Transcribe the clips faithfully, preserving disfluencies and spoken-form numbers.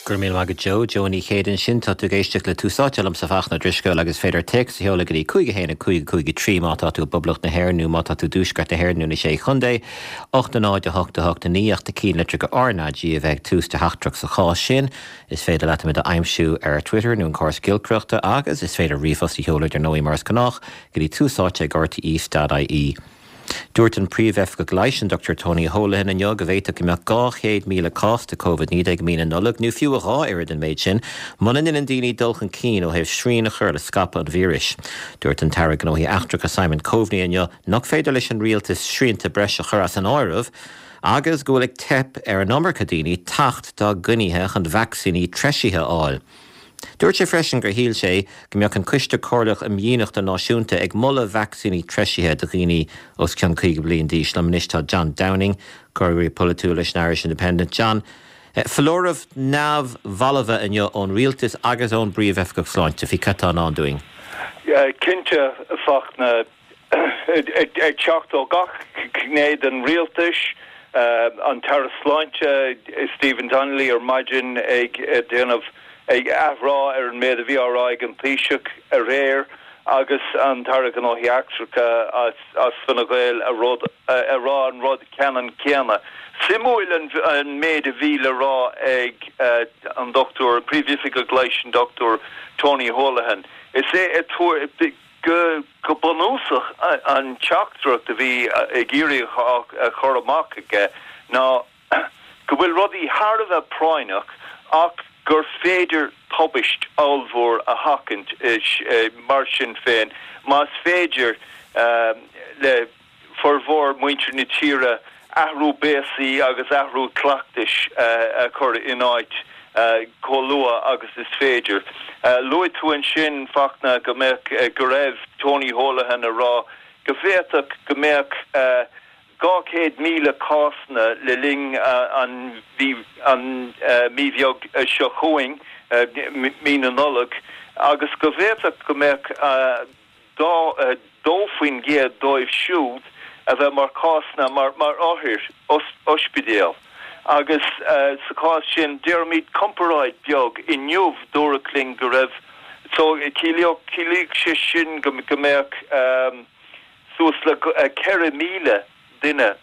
Gur mí go Joe Joe Ní Chéad sin tá tú ag éisteacht le Tús Áite liomsa Fachtna Ó Drisceoil agus féidir téacs a sheoladh go dtí cúig haon cúig cúig trí má tá tú Poblacht na hÉireann nó má tá tú Tuaisceart na hÉireann nó na sé chontae, ocht náid a hocht a hocht naoi ach na ceannlitreacha RnaG a bheith ag tús do theachtaireacht sa chás sin. Is féidir leat muid a aimsiú ar Twitter nó an córas giolcaireachta agus is féidir ríomhphost a sheoladh ar ndóigh mar is gnách go dtí túsáite ag RTE.ie. Dúirt an príomhoifigeach leighis an Dr Tony Holohan inniu go bhféadfadh go mbeadh dhá chéad míle cás de COVID naoi déag i mí na Nollag nó fiú a dhá oiread an méid sin, muna ndéanann daoine dul chun cinn ó thaobh srian a chur le scaipeadh an víris. Dúirt an tAire Gnóthaí Eachtracha Simon Coveney inniu nach féidir leis an rialtas srianta breise a chur as an áireamh, agus go bhfuil ag teip ar an iomarca daoine teacht dá gcoinnithe chun vacsaíní treisithe a fháil. Dúirt sé freisin gur shíl sé go mbeadh an Coiste Comhairleach um Dhíonacht Náisiúnta ag moladh vacsaíní treisithe do dhaoine os cionn caoga bliain d'aois liom anois tá John Downing, comhfhreagraí polaitiúil leis an Irish Independent. John, foláireamh neamhbhalbh inniu ón rialtas agus ón bpríomhoifigeach sláinte faoi cad atá i ndán dúinn. Cinnte Fachtna ag teacht ó gach gné den rialtas, an tAire Sláinte Stephen Donnelly ar maidin ag déanamh ag athrá ar an méid a bhí á rá ag an Taoiseach aréir agus an tAire Gnóthaí Eachtracha as as Fine Gael a rud a rá an rud ceannann céanna. Suimiúil an, an méid a bhí le rá ag uh, an dochtúir príomhoifigeach leighis an Dr Tony Holohan. Is é a go go bunúsach an teachtaireacht a bhí ag iarraidh a chur amach aige ná go bhfuil rudaí thar a bheith práinneach ach gur féidir tubaist ollmhór a sheachaint mar sin féin más féidir uh, le formhór muintir na tíre athrú béasaí agus athrú cleachtais uh, a chur in áit uh, chomh luath agus is féidir. Uh, Luaigh tú ansin Fachtna go mbeadh uh, go raibh Tony Holohan ag rá go bhféadfadh go mbeadh uh, dhá chéad míle cásanna le linn uh, an bhí an uh, mí bheag uh, seo chugainn uh, mí na Nollag agus go bhféadfadh go mbeadh uh, dá uh, dó faoin gcéad dóibh siúd a bheith mar cásanna mar mar othair ospidéal. Agus uh, sa chás sin déarfaimid comparáid beag inniu dúradh linn go raibh so chiallaigh sé sin go go mbeadh um, suas le uh, ceithre míle duine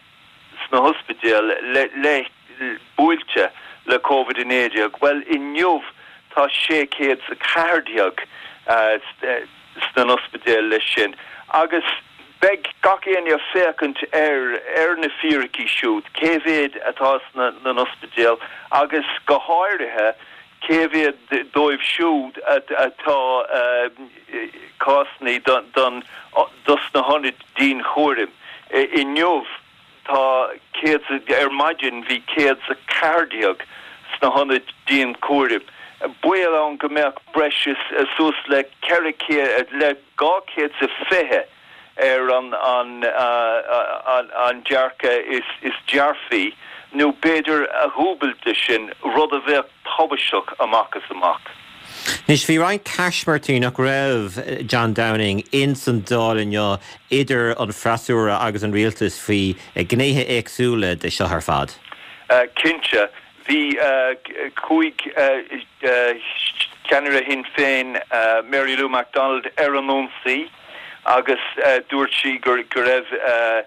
sna hospidéil le le buailte le COVID naoi déag. Well inniu tá sé céad a ceathair déag uh, sna ospidéil leis sin. Agus beidh gach éinne ag féachaint ar ar na fíricí siúd, cé mhéad atá sna na ospidéil agus go háirithe cé mhéad dóibh siúd atá uh, cásanna don don dos na hionaid dianchúraim. Inniu tá céad ar maidin bhí céad a ceathair déag sna hionaid dianchúraim. Baol ann go mbeadh breis suas le ceithre le dhá chéad sa fiche ar an an uh, an, an dearcadh is, is dearfaí, nó b'fhéidir a dhúbailt sin rud a bheadh tubaisteach amach is amach. Anois bhí roinnt caismirtí nach raibh John Downing in san Dáil inniu idir an freasúra agus an rialtas faoi gnéithe éagsúla de seo ar fad. Uh, Cinnte bhí uh, cúig uh, uh, ceannaire Shinn Féin uh, Mary Lou McDonald ar an ionsaí agus uh, dúirt sí gur go raibh uh,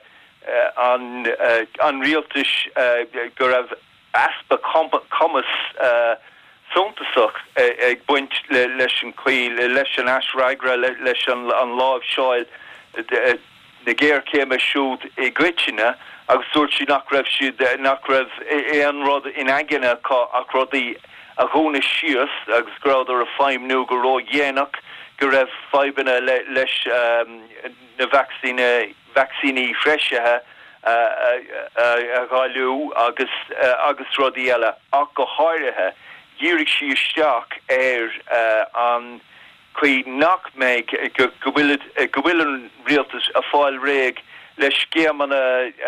uh, an uh, an rialtas uh, go raibh easpa cumas uh, suntasach ag baint le, leis an chaoi leis an aisfhreagra le, leis an, an láimhseáil na géarchéime siúd i gcoitinne agus dúirt sí nach raibh siad nach raibh aon rud in aigne ach rudaí a dhúnadh síos agus go rabhadar ag feidhmiú go ródhéanach go raibh fadhbanna le, leis um, na vacsaíní vacsaíní threisithe a dháileadh agus uh, agus rudaí eile ach go háirithe dhírigh sí isteach ar uh, an chaoi nach mbeidh go bhfuil go bhfuil an rialtas ag fáil réidh le scéimeanna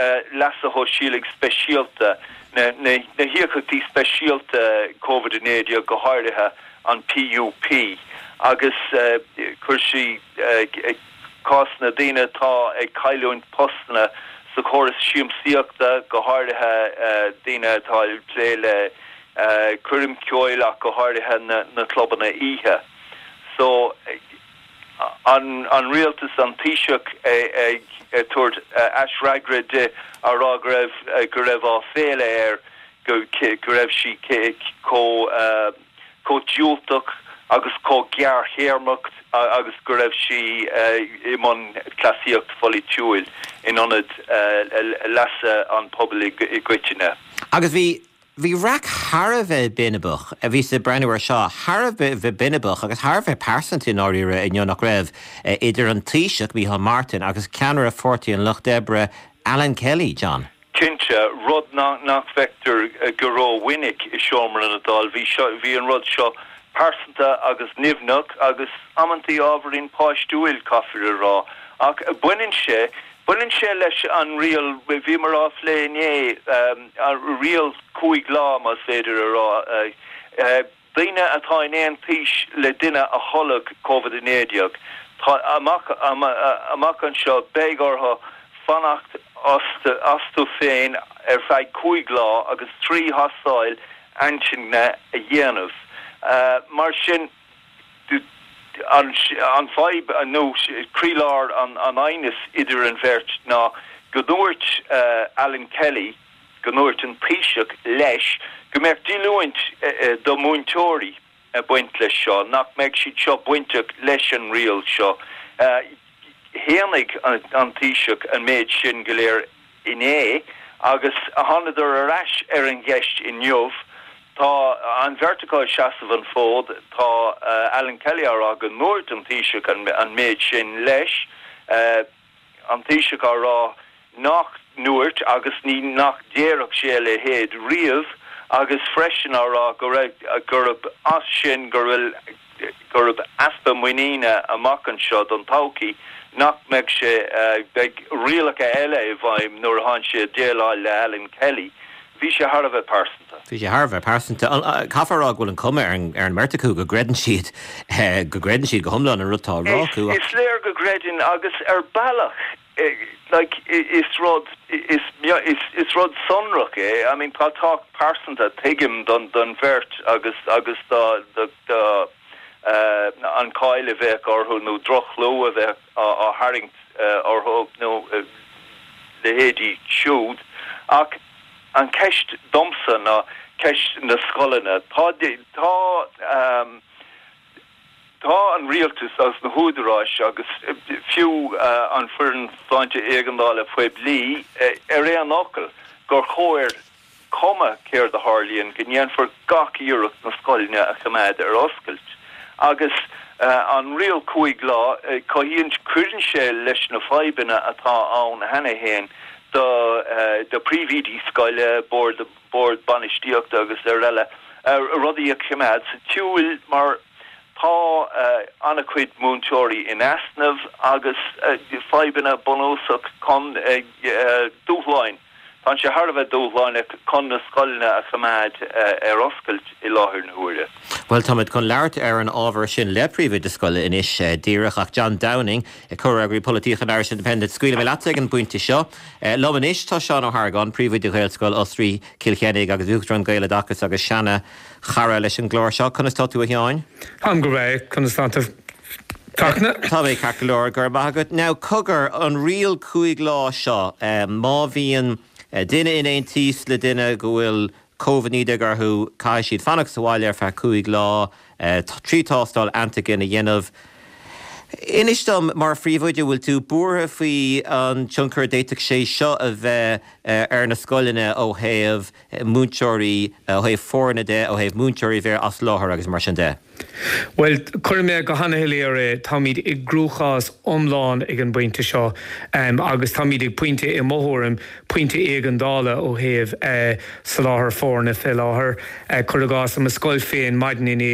uh, leasa shóisialaigh speisialta na, na, na híocaíochtaí speisialta COVID naoi go háirithe an PUP agus uh, chuir sí uh, cás na daoine atá ag cailliúint postanna sa chóras siamsaíochta go háirithe uh, daoine atá ag plé le Coirm ceoil ach go háirithe na, na clubanna oíche. So an, an rialtas an Taoiseach ag tabhairt aisfhreagra di á rá go raibh go raibh áiféala air go, go raibh sí chomh chomh diúltach agus chomh gearrthéarmach agus go raibh sí i mbun cleasaíocht pholaitiúil in ionad leasa an pobail i gcoitinne. Agus bhí Bhí raic thar a bheith binibeach a bhí sa breathnú ar seo thar a bheith binibeach agus thar a bheith pearsanta i ndáiríre inniu nach raibh idir an Taoiseach Micheál Martin agus ceannaire Pháirtí an Lucht Oibre Alan Kelly, John. Cinnte, rud nach nach bhfeictear go rómhinic i seomra na Dála, bhí seo bhí an rud seo pearsanta agus nimhneach agus amantaí ábhairín páistiúil caithfear a rá ach baineann sé Baineann sé leis an riail bhíomar á phlé inné an riail cúig lá más féidir a rá. Daoine atá in aon tís le duine a tholg Covid a naoi déag. Tá amach amach anseo beidh orthu fanacht astu féin ar feadh cúig lá agus trí thástáil antaigine a dhéanamh. Mar sin an an fadhb nó croílár an an aighnis idir an bheirt ná go ndúirt Alan Kelly go ndúirt an Taoiseach leis go mbeadh díolúint do mhúinteoirí ag baint leis seo, nach mbeadh siad seo bainteach leis an riail seo. Shéanaigh an Taoiseach an méid sin go léir inné agus thánadar ar ais ar an gceist inniu. Tá an bheirt acu ag seasamh an fód, tá Alan Kelly á rá go ndúirt an Taoiseach an méid sin leis, an Taoiseach á rá nach ndúirt agus ní nach ndéarfadh sé a leithéid riamh agus freisin á rá go raibh gurb as sin go bhfuil gurb easpa muiníne amach anseo don todhchaí nach mbeidh sé beidh rialacha eile i bhfeidhm nuair atá sé ag déileáil le Alan Kelly. Bhí sé thar a bheith pearsanta. Bhí sé thar a bheith pearsanta. Caithfear a rá go bhfuil an cuma ar an ar an mbeirt acu go gcreideann siad go gcreideann siad go hiomlán an rud atá á rá acu. Is léir go gcreideann agus ar bealach like is rud is is is rud sonrach é. I mean tá tábhacht pearsanta tuigim don don bheirt agus agus do do do uh, an cáil a bheadh orthu nó droch-chlú a bheith á, á tharraingt uh, orthu nó uh, leithéidí siúd ach an ceist domsa ná ceist na scoileanna tá tá um, tá an rialtas agus na húdaráis agus fiú uh, an foireann sláinte éigeandála poiblí uh, ar aon fhocal gur chóir cuma céard a tharlaíonn go ndéanfar gach iarracht na scoileanna a choimeád ar oscailt. Agus uh, an riail cúig lá uh, cothaíonn cuireann sé leis na fadhbanna atá ann cheana féin do uh, do phríomhoidí scoile bord bord bainistíochta agus araile uh, rudaí a choimeád sa tsiúl mar tá uh, an-chuid múinteoirí in easnamh agus uh, fadhbanna bunúsach chun uh, uh, dúshláin. Tá sé thar a bheith dúshlánach chun na scoileanna a choimeád uh, ar oscailt i láthair na huaire. Well táimid chun labhairt ar an ábhar sin le príomhoide scoile anois uh, díreach ach John Downing comhfhreagraí polaitíochta an Irish Independent scaoilfidh mé leat ag an bpointe seo. Uh, Liom anois tá Seán Ó hArgáin príomhoide Ghaelscoil Osraí Cill Chainnigh agus Uachtarán Gaeloideachas agus seana chara leis an gclár seo conas tá tú a Sheáin? Táim go breá conas tá tú Fachtna? Tá mé ceart go leor go raibh maith agat. Now cogar an riail cúig lá seo um, má bhíonn duine in aon tíos le duine go bhfuil Covid naoi déag orthu caithfidh siad fanacht sa bhaile ar feadh cúig lá trí tástáil antaigin a dhéanamh. Inis dom mar phríomhoide bhfuil tú buartha faoi an tionchar a d'fhéadfadh sé seo a bheith ar na scoileanna ó thaobh múinteoirí ó thaobh foirne de ó thaobh múinteoirí bheith as láthair agus mar sin de. Well chuir mé go han-shoiléir é táimid i gcruachás iomlán ag an bpointe seo um, agus táimid ag pointe i mo thuairim pointe éigeandála ó thaobh uh, soláthar foirne fé láthair uh, cuir i gcás i mo scoil féin maidin inné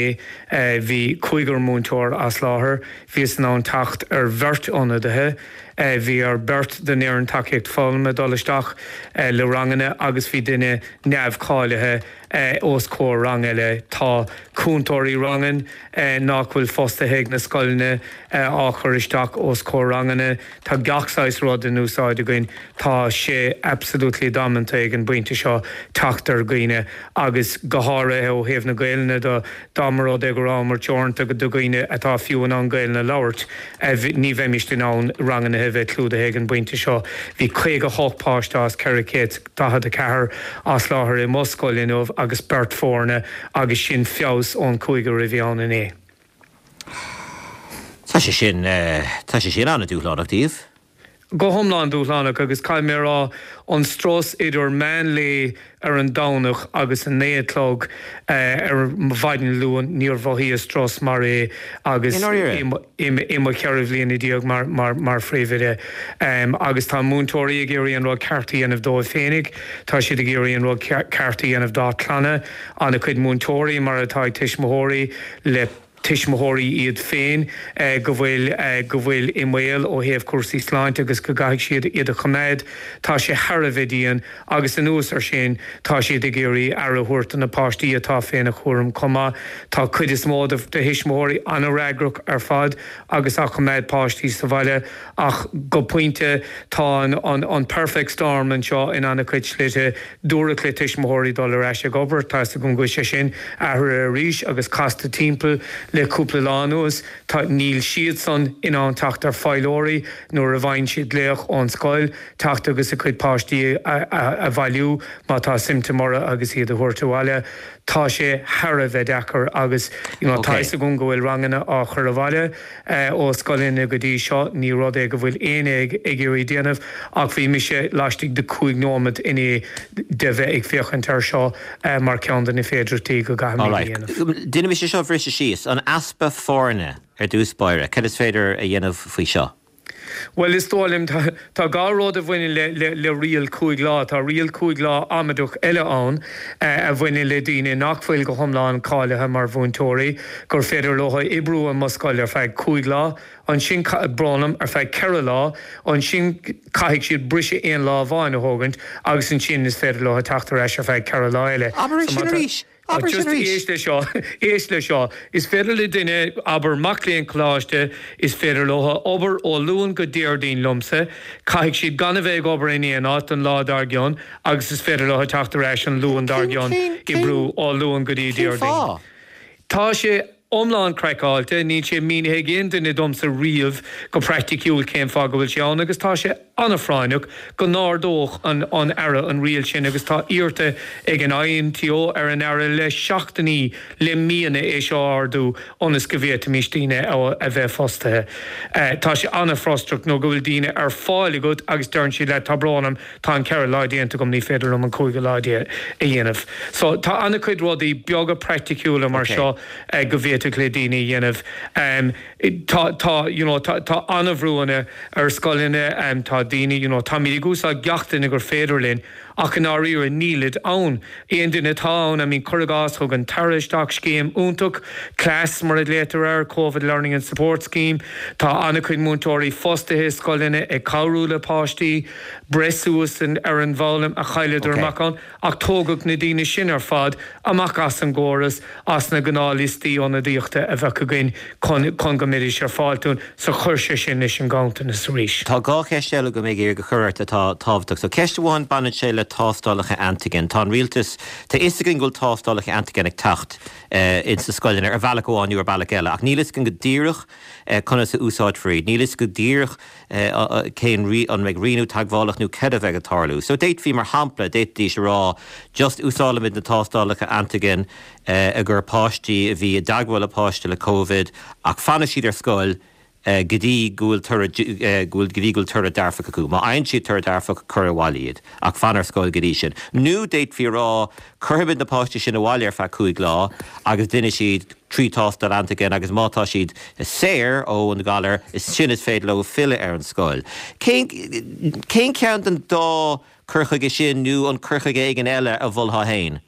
uh, bhí cúigear múinteoir as láthair, bhíos in ann teacht ar bheirt ionadaithe. Uh, bhí ar beirt den fhoireann tacaíocht foghlama dul isteach uh, le ranganna agus bhí duine neamhcháilithe uh, os comhair rang eile tá cúntóirí ranga uh, nach bhfuil fostaithe ag na scoileanna uh, á chur isteach os comhair ranganna Tá gach saghas rud in úsáid againn tá sé absolutely damanta ag an bpointe seo teacht ar dhaoine agus go háirithe ó thaobh na Gaeilge de dá mba rud é go rabhamar teoranta do dhaoine atá fiú in ann Gaeilge a labhairt ní bheimis in ann ranganna a bheith clúdaithe ag an bpointe seo. Bhí caoga hocht páiste as ceithre chéad daichead a ceathair as láthair i mo scoil inniu agus beirt foirne agus sin feabhas ón cúigear a bhí ann inné. Tá sé sin tá sé sin an-dúshlánach daoibh. Go hiomlán dúshlánach agus caithfidh mé a rá an strus idir meán lae ar an Domhnach agus a naoi a chlog ar mhaidin Luain níor mhothaíos strus mar é agus i mo cheithre bhliana déag mar mar phríomhoide. Agus tá múinteoirí ag iarraidh an rud ceart a dhéanamh dóibh féinig, tá siad ag iarraidh an rud ceart a dhéanamh dá gclanna, an-chuid múinteoirí mar atá ag tuismitheoirí le tuismitheoirí iad féin go bhfuil go bhfuil i mbaol ó thaobh cúrsaí sláinte agus go gcaithfidh siad iad a choimeád. Tá sé thar a bheith dian agus anuas ar sin tá siad ag iarraidh aire a thabhairt do na páistí atá féna chúram chomh maith. Tá cuid is mó de thuismitheoirí an-fhreagrach ar fad agus á choimeád páistí sa bhaile ach go pointe tá an an an perfect storm anseo in an-chuid slite. Dúradh le tuismitheoirí dul ar ais ag obair, tá 'fhios agam go bhfuil sé sin athraithe arís agus casta timpeall le cúpla lá anuas. Tá, níl siadsan in ann teacht ar feighlóirí nuair a bhfaigheann siad glaoch ón scoil, teacht agus a gcuid páistí a bhailiú má tá siomptóim orthu agus iad a thabhairt abhaile. Tá sé thar a bheith deacair agus you know, tá 'fhios agam go bhfuil ranganna á chur abhaile ó scoileanna go dtí seo, ní rud é go bhfuil éinne ag iarraidh déanamh ach bhí mise laistigh de cúig nóiméad inné de bheith ag féachaint air seo mar ceann de na féidearthachtaí go gcaithfimid a dhéanamh. Déanaimis é seo a bhriseadh síos, an easpa foirne ar dtús báire, cad is féidir a dhéanamh faoi seo? Bhuel, is dóigh liom, tá dhá rud a bhaineann le, le, le riail cúig lá. Tá riail cúig lá amaideach eile ann a bhaineann le daoine nach bhfuil go hiomlán cáilithe mar mhúinteoirí, gur féidir leo oibriú i mo scoil ar feadh cúig lá, ansin, brón orm, ar feadh ceithre lá, ansin caithfidh siad briseadh aon lá amháin a thógaint agus ansin is féidir leo teacht ar ais ar feadh ceithre lá eile. Abair é sin arís! Abair sin arís! Éist le seo, éist le seo. Is féidir le duine, abair mac léinn coláiste, is féidir leo obair ó Luan go Déardaoin liomsa, caithfidh siad gan a bheith ag obair in aon áit an lá dár gcionn agus is féidir leo teacht ar ais an Luan dár gcionn, oibriú ó Luan go dtí Cén Déardaoin. fáth? Tá sé iomlán craiceáilte, níl sé mínithe ag aon duine domsa riamh go praiticiúil cén fáth go bhfuil sé ann agus tá sé an-phráinneach go n-ardódh an an Aire an riail sin agus tá iarrta ag an INTO ar an Aire le seachtainí, le míonna é seo a ardú ionas go bhféadfaimis daoine a bheith fostaithe. Tá sé an-fhrustrach nó go bhfuil daoine ar fáil agat agus deireann siad leat tá brón orm, tá an ceithre lá déanta agam, ní féidir liom an cúigiú lá a dhéanamh. So tá an-chuid rudaí beaga praiticiúla mar seo go bhféadfadh le daoine a dhéanamh. Tá, tá, you know, tá, tá an-bhrúanna ar scoileanna, tá daoine, you know, táimid ag úsáid gach duine gur féidir linn ach i ndáiríre nílid ann. Aon duine atá ann, I mean, cuir i gcás, thug an tAire isteach scéim iontach, CLASS mar a ghlaotar air, Covid Learning and Support Scheme. Tá an-chuid múinteoirí fostaithe i scoileanna ag cabhrú le páistí breith suas ar an bhfoghlaim a chailleadar amach ann, ach tógadh na daoine sin ar fad amach as an gcóras, as na gnáthliostaí ionadaíochta a bheadh againn chun chun go mbeidís ar fáil dúinn, so chuir sé sin leis an nganntanas arís. Tá dhá cheist eile agam ag iarraidh a chur ort atá tábhachtach. So ceist amháin, baineann sé le tástálacha antigen. Tá an rialtas, tá fhios againn go bhfuil tástálacha antigen ag teacht ins na scoileanna ar bhealach amháin nó ar bealach eile, ach níl fhios againn go díreach conas a úsáidfear iad. Níl fhios go díreach cén, an mbeidh rianú teagmhálach nó céard a bheidh ag tarlú. So d'fhéadfaí, mar shampla, d'fhéadfaidís a rá just úsáidfimid na tástálacha antigen i gcomhair páistí a bhí i dteagmháil le páiste le Covid ach fanfaidh siad ar scoil go dtí go bhfuil toradh, go dtí go bhfuil toradh dearfach acu. Má fhaigheann siad toradh dearfach, cuir abhaile iad, ach fan ar scoil go dtí sin. Nó d'fhéadfaí a rá, cuirfimid na páistí sin abhaile ar feadh cúig lá agus déanfaidh siad trí thástáil antigen agus má tá siad saor ón ghalar, ansin is féidir leo filleadh ar an scoil. Cén, cén ceann den dá cur chuige sin nó an cur chuige éigin eile a mholfá féin?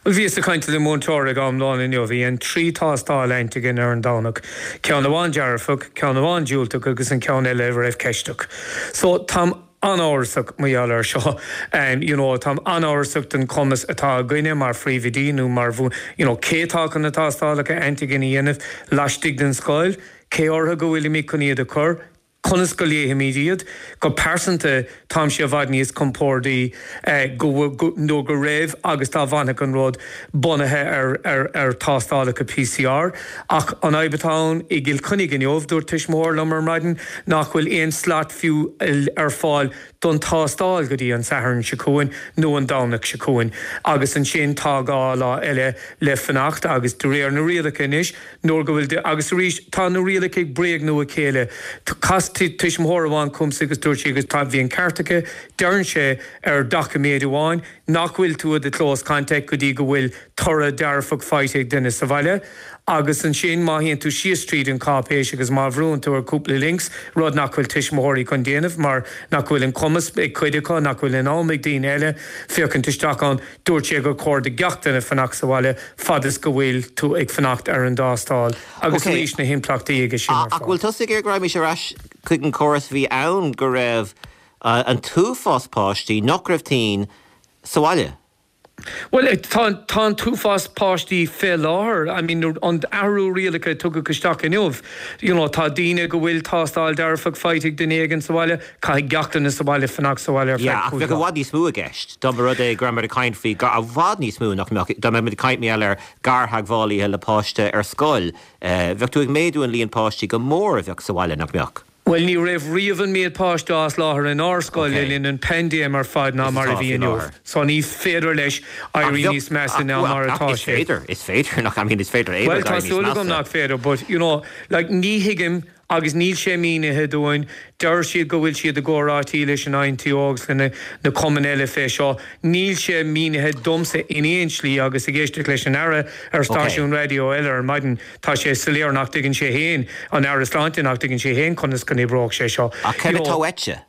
Bhuel, bhíos ag caint le múinteoir ag am lóin inniu, bhí an trí tástáil antigen ar an Domhnach, ceann amháin dearfach, ceann amháin diúltach agus an ceann eile a raibh ceisteach. So, táim an-amhrasach mar gheall air seo. You know, táim an-amhrasach den chumas atá againne mar phríomhoidí nó mar, you know, cé atá chun na tástálacha antigen a dhéanamh laistigh den scoil, cé orthu go bhfuilimid chun iad a chur, conas go léifimid iad. Go pearsanta táimse i bhfad níos compordaí go nó go raibh agus dá bhfanfadh an rud bunaithe ar ar ar tástálacha PCR. Ach an fhadhb atá ann i gCill Chainnigh inniu, dúirt tuismitheoir liom ar maidin nach bhfuil aon slot fiú ar fáil don tástáil go dtí an Satharn seo chugainn nó an Domhnach seo chugainn agus ansin tá dhá lá eile le fanacht agus de réir na rialacha anois nuair go bhfuil agus arís tá na rialacha ag bréagnú a chéile. Chas tuismitheoir amháin chugamsa agus dúirt sí agus tá bhí an ceart aici, deireann sé ar doiciméad amháin nach bhfuil tú i do close contact go dtí go bhfuil toradh dearfach faighte ag duine sa bhaile. Agus ansin má théann tú síos tríd an cáipéis agus má bhrúnn tú ar cúpla links, rud nach bhfuil tuismitheoirí chun déanamh mar nach bhfuil an cumas ag cuid acu, nach bhfuil an am ag daoine eile féachaint isteach ann, dúirt sé gur chóir do gach duine fanacht sa bhaile fad is go bhfuil tú ag fanacht ar an dtástáil. Agus arís na himpleachtaí aige sin ar fad. Ach bhfuil tusa ag iarraidh go raghaimís ar ais chuig an córas a bhí ann go raibh an t-uafás páistí nach raibh tinn sa bhaile? Bhuel, tá tá an t-uafás páistí fé láthair. I mean, an athrú rialacha a tugadh isteach inniu, you know, tá daoine go bhfuil tástáil dearfach faighte ag duine éigin sa bhaile, caithfidh gach duine sa bhaile fanacht sa bhaile ar feadh Yeah, ach cúig bheadh i lá. bhfad níos mó i gceist dá mba rud é go rabhamar ag caint faoi i bhfad níos mó nach mbeadh, dá mbeadh muid ag caint mar gheall ar gartheagmhálaithe le páiste ar scoil, bheadh tú ag méadú an líon páistí go mór a bheadh sa bhaile, nach mbeadh? Bhuel, ní raibh riamh an méid páiste as láthair inár scoil le linn an paindéim ar fad ná mar a bhí inniu. So ní féidir leis éirí níos measa ná mar atá sé. Is féidir, is féidir, nach, I mean, is féidir é Bhuel, tá súil agam nach féidir, but, you know, like, ní thuigim agus níl sé mínithe dúinn. Deir siad go bhfuil siad i gcomhráití leis an INTO agus le na cumainn eile fé seo. Níl sé mínithe domsa in aon slí agus ag éisteacht leis an Aire ar stáisiún raidió eile ar maidin, tá sé soiléir nach dtuigeann sé féin, an Aire Sláinte, nach dtuigeann sé féin conas go n-oibreoidh sé seo. Ach céard atá uaitse?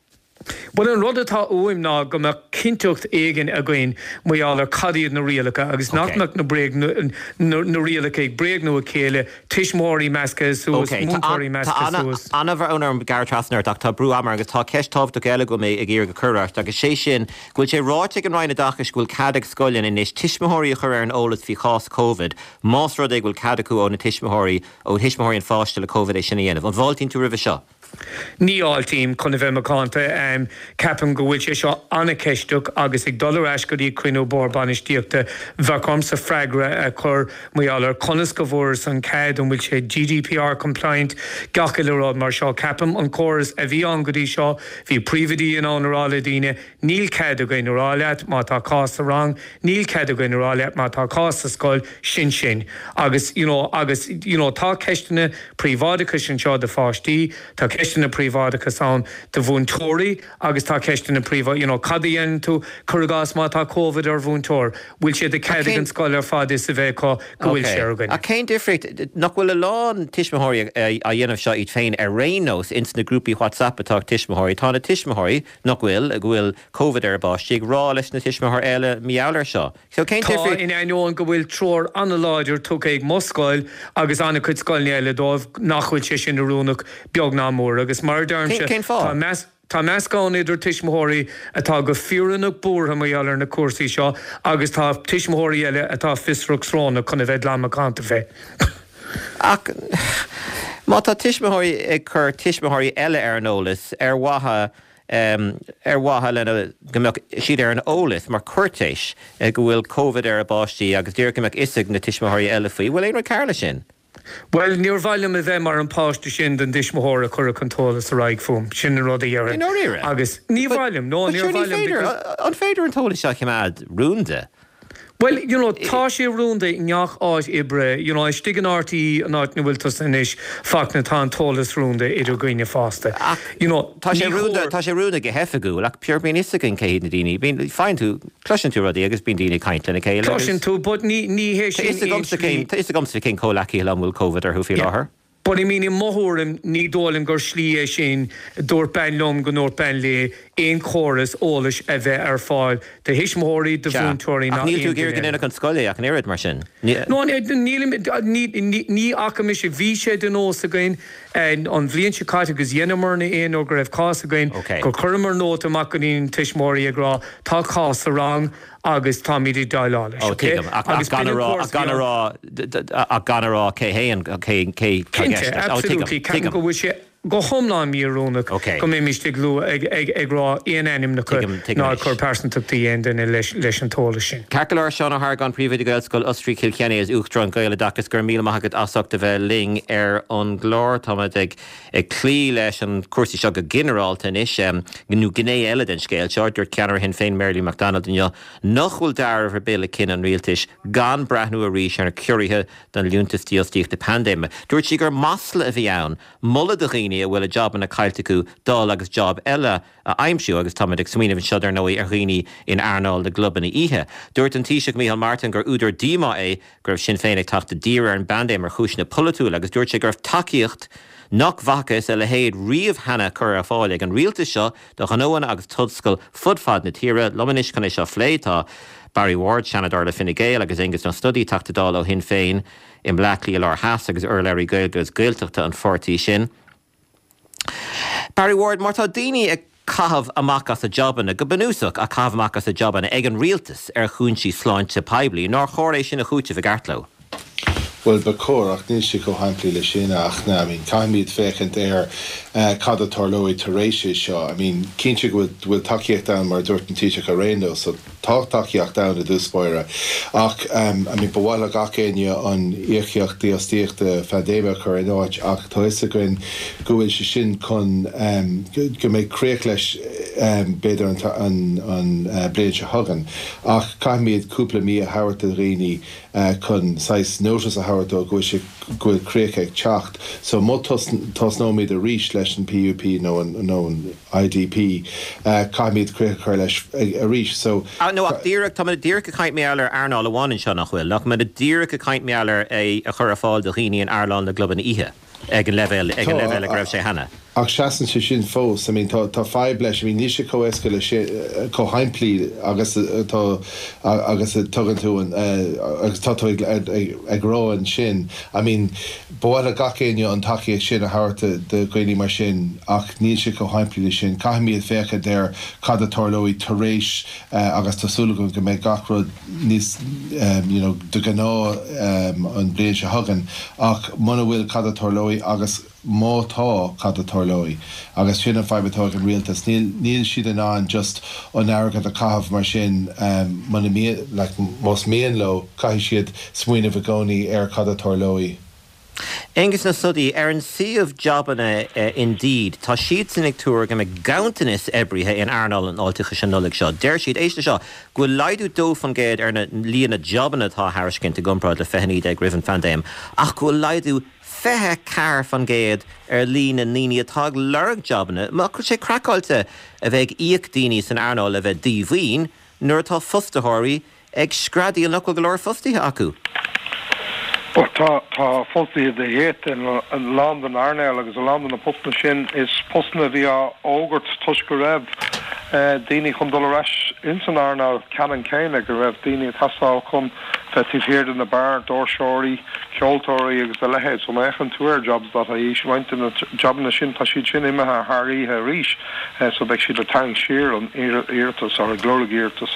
Bhuel, an rud atá uaim ná go mbeadh cinnteacht éigin againn mar gheall ar cad iad na rialacha agus nach mbeadh na bréag, na rialacha ag bréagnú a chéile, tuismitheoirí measctha suas, múinteoirí measctha suas. Tá an-bhrón orm gearradh trasna ort ach tá brú ama agus tá ceist tábhachtach eile go bhfuil mé ag iarraidh a chur ort agus sé sin go bhfuil sé ráite ag an Roinn Oideachais go bhfuil cead ag scoileanna anois tuismitheoirí a chur ar an eolas faoi chás Covid más rud é go bhfuil cead acu ó na tuismitheoirí, ó thuismitheoirí an pháiste le Covid é sin a dhéanamh. An bhfáiltíonn tú roimhe seo? Ní fháiltím, chun a bheith macánta. Ceapaim go bhfuil sé seo an-cheisteach agus ag dul ar ais go dtí cruinniú bord bainistíochta, bheadh ormsa freagra a chur mar gheall ar conas go bhfuarthas an cead, an bhfuil sé GDPR compliant, gach uile rud mar seo. Ceapaim an córas a bhí ann go dtí seo, bhí príomhoidí in ann a rá le daoine, níl cead againn a rá leat má tá cás sa rang, níl cead againn a rá leat má tá cás sa scoil, sin sin. Agus you know agus you know tá ceisteanna príobháideachais anseo do pháistí, tá ceisteanna príobháideachais ann do mhúinteoirí agus tá ceisteanna príobhá you know cad a dhéanann tú, cuir i gcás má tá Covid ar mhúinteoir, bhfuil sé de chead ag an scoil ar fad fhios a bheith acu go bhfuil sé ar dhuine? Ach cén difríocht, nach bhfuil a lán tuismitheoirí á dhéanamh seo iad féin ar aon nós ins na grúpaí WhatsApp atá ag tuismitheoirí, tá na tuismitheoirí nach bhfuil, go bhfuil Covid ar a bpáistí ag rá leis na tuismitheoirí eile mar gheall air seo. So cén Tá, in ainneoin go bhfuil treoir an-láidir tugtha ag mo scoil agus an-chuid scoileanna eile dóibh nach bhfuil sé sin oiriúnach beag ná mór agus mar a deirimse Cén fáth? tá meas tá meascán idir tuismitheoirí atá go fírinneach buartha mar gheall ar na cúrsaí seo agus tá tuismitheoirí eile atá fiosrach srónach chun a bheith glan macánta fé. Ach má tá tuismitheoirí ag cur tuismitheoirí eile ar an eolas ar mhaithe ar mhaithe lena go mbeadh siad ar an eolas mar chúirtéis go bhfuil Covid ar a bpáistí agus díreach go mbeadh fhios ag na tuismitheoirí eile faoi. Bhfuil aon rud cearr leis sin? Bhuel, níor mhaith liom a bheith mar an páiste sin don dtuismitheoir a chuirfeadh an t-eolas ar aghaidh fúm. Sin an rud a I dhéarfainn. ndáiríre? Agus ní But mhaith liom, no, but níor sure ní mhaith liom féidir, because. an féidir an t-eolas seo a choimeád rúnda? Bhuel, you know, tá sé rúnda i ngach áit oibre, you know, istigh in RTÉ, an áit ina bhfuil tusa anois, Fachtna, tá an t-eolas rúnda idir dhaoine fásta. Ach You know, tá sé ní rúnda, chóir. tá sé rúnda go hoifigiúil, ach pure bíonn fhios againn cé hiad na daoine, bíonn, faigheann tú, cloiseann tú rudaí agus bíonn daoine ag caint lena chéile agus. Cloiseann tú, but ní, ní hé Tá sin fhios aon agamsa slí. cén, tá fhios agamsa cén comhleacaithe liom a bhfuil Covid orthu faoi Yeah. láthair. But I mean, i mo thuairim, ní dóigh liom gur slí é sin, dúirt bean liom go ndúirt bean léi, aon chóras eolais a bheith ar fáil do thuismitheoirí, do Sea, mhúinteoirí ach ná níl tú aon ag iarraidh duine go eile. ndéanfadh an scoil é ach an oiread, mar sin? No, nílim, ní fhaca mise, bhí sé de nós againn an bhliain seo caite agus dheineamarna aon uair go raibh cás againn, gur chuireamar nóta amach go dtí na tuismitheoirí ag rá, tá cás sa rang, agus táimid ag déileáil leis, Ó, ok? tuigim. Ach Agus gan b'in a an rá, córas ach gan a a bhí rá, ann. ach gan a rá cé hé an, cé, cé tá i Cinnte, gceist leis. Ó, tuigim, absolutely. Ceapaim tuigim. go bhfuil sé, go hiomlán mí-oiriúnach go mbeimis ag lua ag ag ag rá aon ainmneacha ná ag cur pearsantachtaí aon duine leis leis an t-eolas sin. Ceart go leor Seán Ó hArgáin Príomhoide Gaelscoil Osraí Chill Chainnigh is Uachtarán Gaeloideachas go raibh míle maith agat as ucht a bheith linn ar an gclár táimid ag ag cloí leis an cúrsaí seo go ginearálta anois nó gné eile den scéal seo dúirt ceannaire Shinn Féin Mary Lou McDonald inniu nach bhfuil dealramh ar bith le cinneadh an rialtais gan breathnú arís ar na ciorruithe don liúntas dífhostaíochta paindéime. Dúirt sí gur masla a bhí ann, moladh do dhaoine a bhfuil a jabanna caillte acu dul agus job eile a aimsiú agus táimid ag smaoineamh anseo ar ndóigh ar dhaoine in earnáil na gclubanna oíche. Dúirt an Taoiseach Micheál Martin gur údar díomá é go raibh Sinn Féin ag teacht i dtír ar an bpaindéim ar chúiseanna polaitiúla agus dúirt sé go raibh tacaíocht nach bhfacthas a leithéid riamh cheana curtha ar fáil ag an rialtas seo do ghnóanna agus tionscail fud fad na tíre liom anois chun é seo a phlé tá Barry Ward, Seanadóir le Fine Gael agus Aengus Ó Snodaigh Teachta Dála ó Shinn Féin i mBleá Cliath Láir Theas agus urlabhraí Gaeilge agus Gaeltachta an pháirtí sin. Barry Ward, mar tá daoine ag caitheamh amach as a jabanna go bunúsach a caitheamh amach as a jabanna ag an rialtas ar chúinsí sláinte poiblí, nár chóir é sin a chúiteamh i gceart leo. Well ba chóir ach níl sé chomh simplí le sin ach na I mean caithfimid féachaint ar uh, cad a tharlóidh tar éis é seo. I mean cinnte go bhfuil tacaíocht ann mar dúirt an Taoiseach ar aon nós, so tá tacaíocht ann i dtús báire. Ach um, I mean, ba mhaith le gach éinne an íocaíocht dífhostaíochta phaindéime a chur in áit ach tá fhios againn go bhfuil sé sin chun um, go mbeidh críoch leis um, b'fhéidir an, an, an uh, bliain seo chugainn. Ach caithfimid cúpla mí a thabhairt do dhaoine uh, chun saghas notice a thabhairt dó go bhfuil sé go bhfuil críoch ag teacht. So má tosnóimid arís leis an PUP nó an, nó an IDP uh, caithfimid críoch a chur leis arís. So Ah, nó ach díreach tá díreach ag caint mar ar earnáil amháin anseo nach bhfuil, nach mé díreach ag caint mar é a chur ar fáil do dhaoine in earnáil na gclubanna oíche ag an leibhéal ag an leibhéal a raibh sé cheana. Ach seasann sé sin fós, I mean, tá tá fadhb leis, I mean, níl sé chomh éasca le sé chomh simplí agus tá agus tugann tú an agus tá tú ag, ag, ag rá ansin. I mean, ba mhaith le gach éinne an tacaíocht sin a thabhairt do dhaoine mar sin ach níl sé chomh simplí le sin. Caithfimid féachaint ar cad a tharlóidh tar éis uh, agus tá súil agam go mbeidh gach rud níos um, you know, de ghnáth um, an bliain seo chugainn ach muna bhfuil cad a tharlóidh agus má tá cad a tharlóidh agus sin an fadhb atá an rialtas níl níl siad in ann just an airgead a chaitheamh mar sin um, muna like, más mian leo caithfidh siad smaoineamh i gcónaí ar cad a tharlóidh. Aengus Ó Snodaigh ar an suíomh jabanna uh, Indeed, Tá siad sin ag tuar go mbeidh ganntanas oibrithe in earnáil an fháilteachais an Nollaig seo. Deir siad éist seo go bhfuil laghdú dó faoin gcéad ar na líon na jabanna atá á thairiscint i gcomparáid le fiche naoi déag roimh an phaindéim, ach go bhfuil laghdú fiche ceathair faoin gcéad ar líon na ndaoine atá ag lorg jabanna, Má chuir sé craiceáilte a bheith ag íoc daoine san earnáil le bheith díomhaoin nuair atá fostaitheoirí ag screadaíl nach bhfuil go leor fostaithe acu. Tá tá fostaithe de dhíth in a lán den earnáil agus a lán de na postanna sin is postanna a bhí á fhógairt toisc go raibh daoine chun dul ar ais in san earnáil ceannann céanna go raibh daoine ag teastáil chun bheith taobh thiar de na beáir, doirseoirí, ceoltóirí agus a leithéid, so má fhéachann tú ar jobs.ie roinnt de na jabanna sin tá siad sin imithe thar oíche arís so beidh siad ag tarraingt siar an iarratas ar ag lorg iarratas.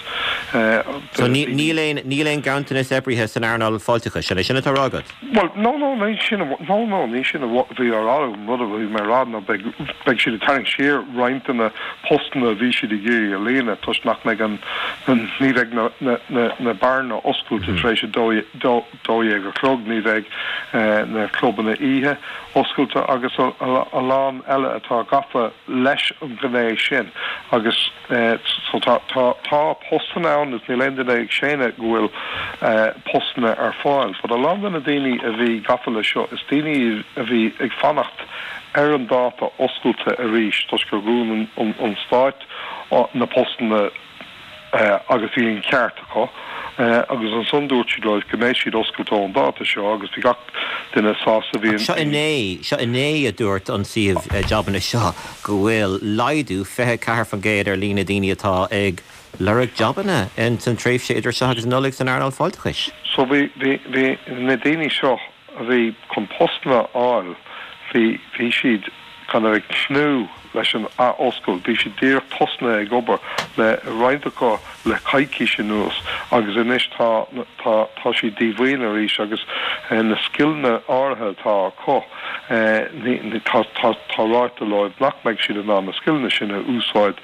So níl aon níl aon ganntanas oibrithe san earnáil fáilteachais sin é sin atá á rá agat? Well no no ní sin no no ní sin bhí á rá rud a bhí mé rá ná beidh beidh siad ag tarraingt siar roinnt de na postanna a bhí siad ag iarraidh a líonadh toisc nach mbeidh an ní bheidh na na na na beáranna oscailte tar éis a dó dó dó dhéag a chlog ní bheidh na clubanna oíche oscailte agus a, a, a lán eile atá gafa leis an ghné sin agus so tá tá tá postanna ann is níl aon duine ag séanadh go bhfuil postanna ar fáil, but a lán de na daoine a bhí gafa le seo is daoine a bhí ag fanacht ar an dáta oscailte arís toisc gur dhún an, an stát na postanna agus bhí an ceart acu agus ansan dúirt siad leo go mbeidh siad oscailte ón dáta seo agus bhí gach duine sásta bhí Seo inné seo inné a dúirt an suíomh jabanna seo go bhfuil laghdú fiche ceathair faoin gcéad ar líon na daoine atá ag lorg jabanna in san tréimhse idir seo agus Nollaig san earnáil fáilteachais. So bhí bhí bhí na daoine seo a bhí chun postanna a fháil bhí bhí siad kind of ag tnúth leis an athoscailt. Bhí siad díreach tosnaithe ag obair le roinnt acu le coicís anuas agus anois tá tá tá siad díomhaoin arís agus na scileanna áirithe atá acu ní tá tá tá ráite leo nach mbeidh siad in ann na scileanna sin a úsáid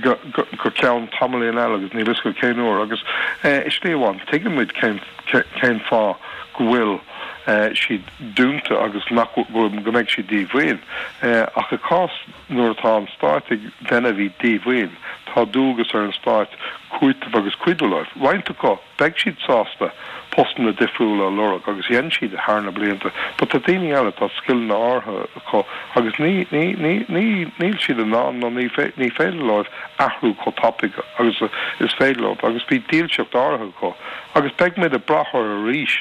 go go go ceann tamaillín eile agus níl fhios acu cén uair agus i slí amháin tuigimid cén cén fáth go bhfuil siad dúnta agus nach go mbeidh siad díomhaoin. Ach i gcás nuair atá an stát ag déanamh iad díomhaoin, tá dualgas ar an stát cúiteamh agus cuidiú leo. Roinnt acu, beidh siad sásta postanna difriúla a lorg agus dhein siad thar na blianta, but tá daoine eile, tá scileanna áirithe acu agus ní, ní, ní, ní, níl siad in ann nó ní, ní féidir leo athrú chomh tapaidh agus is féidir leo agus bhí dílseacht áirithe acu. Agus beidh muid ag brath orthu arís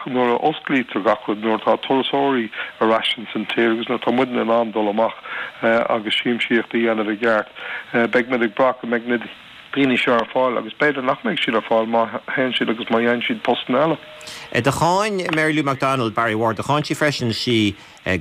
nuair a osclaítear gach rud, nuair atá turasóirí ar ais ins an tír agus nuair atá muidne in ann dul amach agus siamsaíocht a dhéanamh i gceart. Beidh muid ag brath go mbeidh na daoine seo ar fáil agus b'fhéidir nach mbeidh siad ar fáil má théann siad agus má dhéanann siad postanna eile. Do cháin Mary Lou McDonald Barry Ward, do cháin sí freisin sí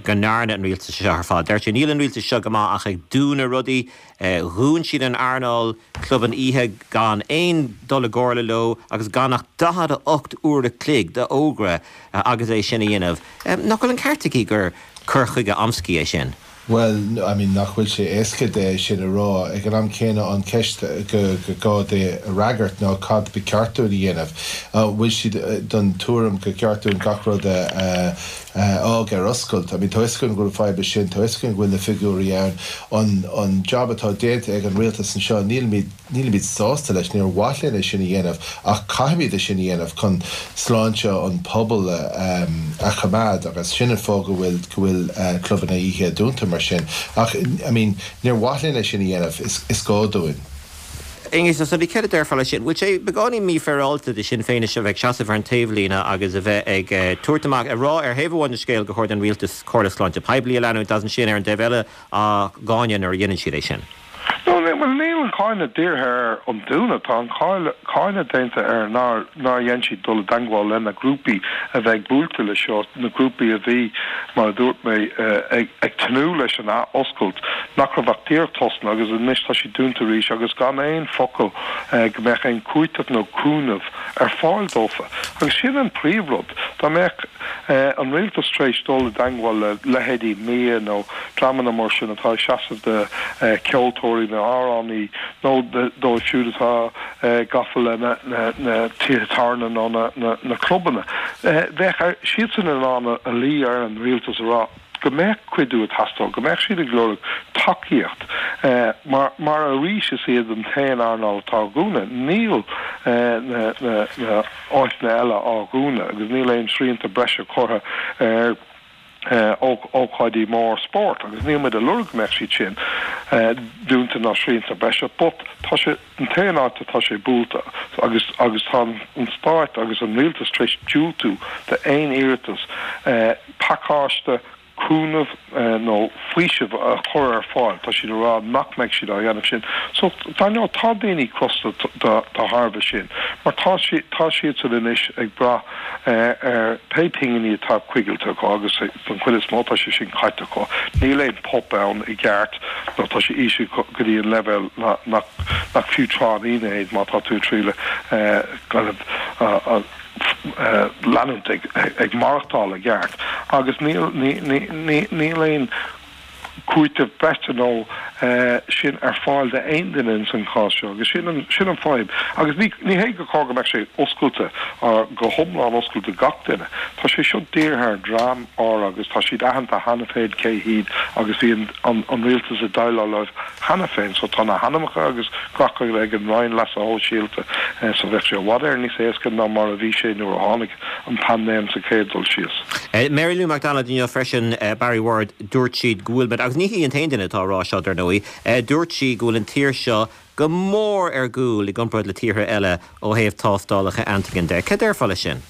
go ndearna an rialtas seo ar fad. Deir sí níl an rialtas seo go maith ach ag dúnadh rudaí. Dhún siad an earnáil clubanna oíche gan aon dul i gcomhairle leo agus gan ach daichead a hocht uair a chloig d'fhógra agus é sin a dhéanamh. Nach bhfuil an ceart aici gur cur chuige amscaí é sin? Bhuel, I mean, nach bhfuil sé éasca é sin a rá. Ag an am céanna an ceist go gá di a fhreagairt ná cad ba cheart dúinn a dhéanamh. An bhfuil siad den tuairim gur ceart dúinn gach rud a fhág ar oscailt? I mean, tá fhios againn go bhfuil fadhb leis sin, tá fhios againn go bhfuil na figiúirí ann. An an job atá déanta ag an rialtas anseo, nílimid nílimid sásta leis, níor mhaith linn é sin a dhéanamh ach caithfimid é sin a dhéanamh chun sláinte an pobail a choimeád agus sin an fáth go bhfuil go bhfuil clubanna oíche dúnta mar sin. Ach I mean, níor mhaith linn é sin a dhéanamh, is is gá dúinn. Aengus Ó Snodaigh, céard a déarfá leis sin? Bhfuil sé beagáinín mífhéaráilte de Shinn Féin anois a bheith ag seasamh ar an taobhlíne agus a bheith ag tabhairt amach, ag rá ar thaobh amháin den scéal gur chóir don rialtas comhairle sláinte poiblí a leanúint agus ansin ar an dtaobh eile á gcáineadh nuair a dhéanann siad é sin? No, bhuel, níl an cáineadh dírithe ar an dúnadh, tá an cáineadh déanta ar nár nár dhein siad dul i dteangmháil le na grúpaí a bheidh buailte le seo, na grúpaí a bhí, mar a dúirt mé, ag ag tnúth leis an athoscailt, nach raibh ach díreach tosnaithe agus anois tá siad dúnta arís agus gan aon focal go mbeadh aon chúiteamh nó cúnamh ar fáil dófa. Agus sin an príomhrud, dá mbeadh an rialtas tar éis dul i dteangmháil le leithéidí MIA nó dreamanna mar sin atá ag seasamh do cheoltóirí nó amhránaí nó dóibh siúd atá gafa le na tithe tábhairne nó na clubanna, bheadh siadsan in ann a luí ar an rialtas a rá go mbeadh cuidiú ag teastáil, go mbeadh siad ag lorg tacaíocht mar mar arís is iad an t-aon earnáil atá á dhúnadh. Níl na na áiteanna eile á dhúnadh agus níl aon srianta breise curtha ar ócáidí mór spóirt agus níl muid ag lorg go mbeadh siad sin dúnta ná srianta breise but tá sé an t-aon áit atá sé buailte agus agus tá an stát agus an rialtas tar éis diúltú d'aon iarratas pacáiste cúnamh nó faoiseamh a chur ar fáil, tá siad ag rá nach mbeidh siad á dhéanamh sin. So, dar ndóigh, tá daoine crosta de thairbhe sin, mar tá tá siadsan anois ag brath ar pé pinginí atá coigilte acu agus don chuid is mó tá sé sin caite acu. Níl aon pop ann i gceart nó tá sé íseal go dtí an leibhéal nach nach fiú tráithnín é má tá tú ag triail kind of leanúint ag maireachtáil i gceart agus níl níl aon cúiteamh breise nó sin ar fáil d'aon duine ins an chás seo agus sin an sin an fadhb agus ní ní hé gur chóir go mbeadh sé oscailte go hiomlán oscailte gach duine. Tá sé seo dírithe ar dream áirithe agus tá siad aitheanta cheana féin cé hiad agus bhí an an an rialtas ag déileáil leo cheana féin so tá na hainmneacha agus gach rud ag an Roinn Leasa Shóisialta so bheadh sé i bhfad Éireann níos éasca ná mar a bhí sé nuair a tháinig an paindéim sa chéad dul síos. Mary Lou McDonald inniu freisin, Barry Ward, dúirt siad go bhfuil, agus ní hí an t-aon duine atá á rá seo dar ndóigh, dúirt sí go bhfuil an tír seo go mór ar gcúl i gcomparáid le tíortha eile ó thaobh tástálacha antigen de. Cad déarfá leis sin?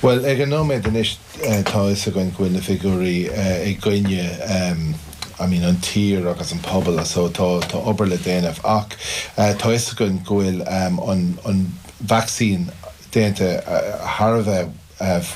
Bhuel, ag an nóiméad anois tá a fhios againn go bhfuil na figiúirí i gcoinne I mean an tír agus an pobal so tá tá obair le déanamh ach tá a fhios againn go bhfuil an an vacsaín déanta thar a bheith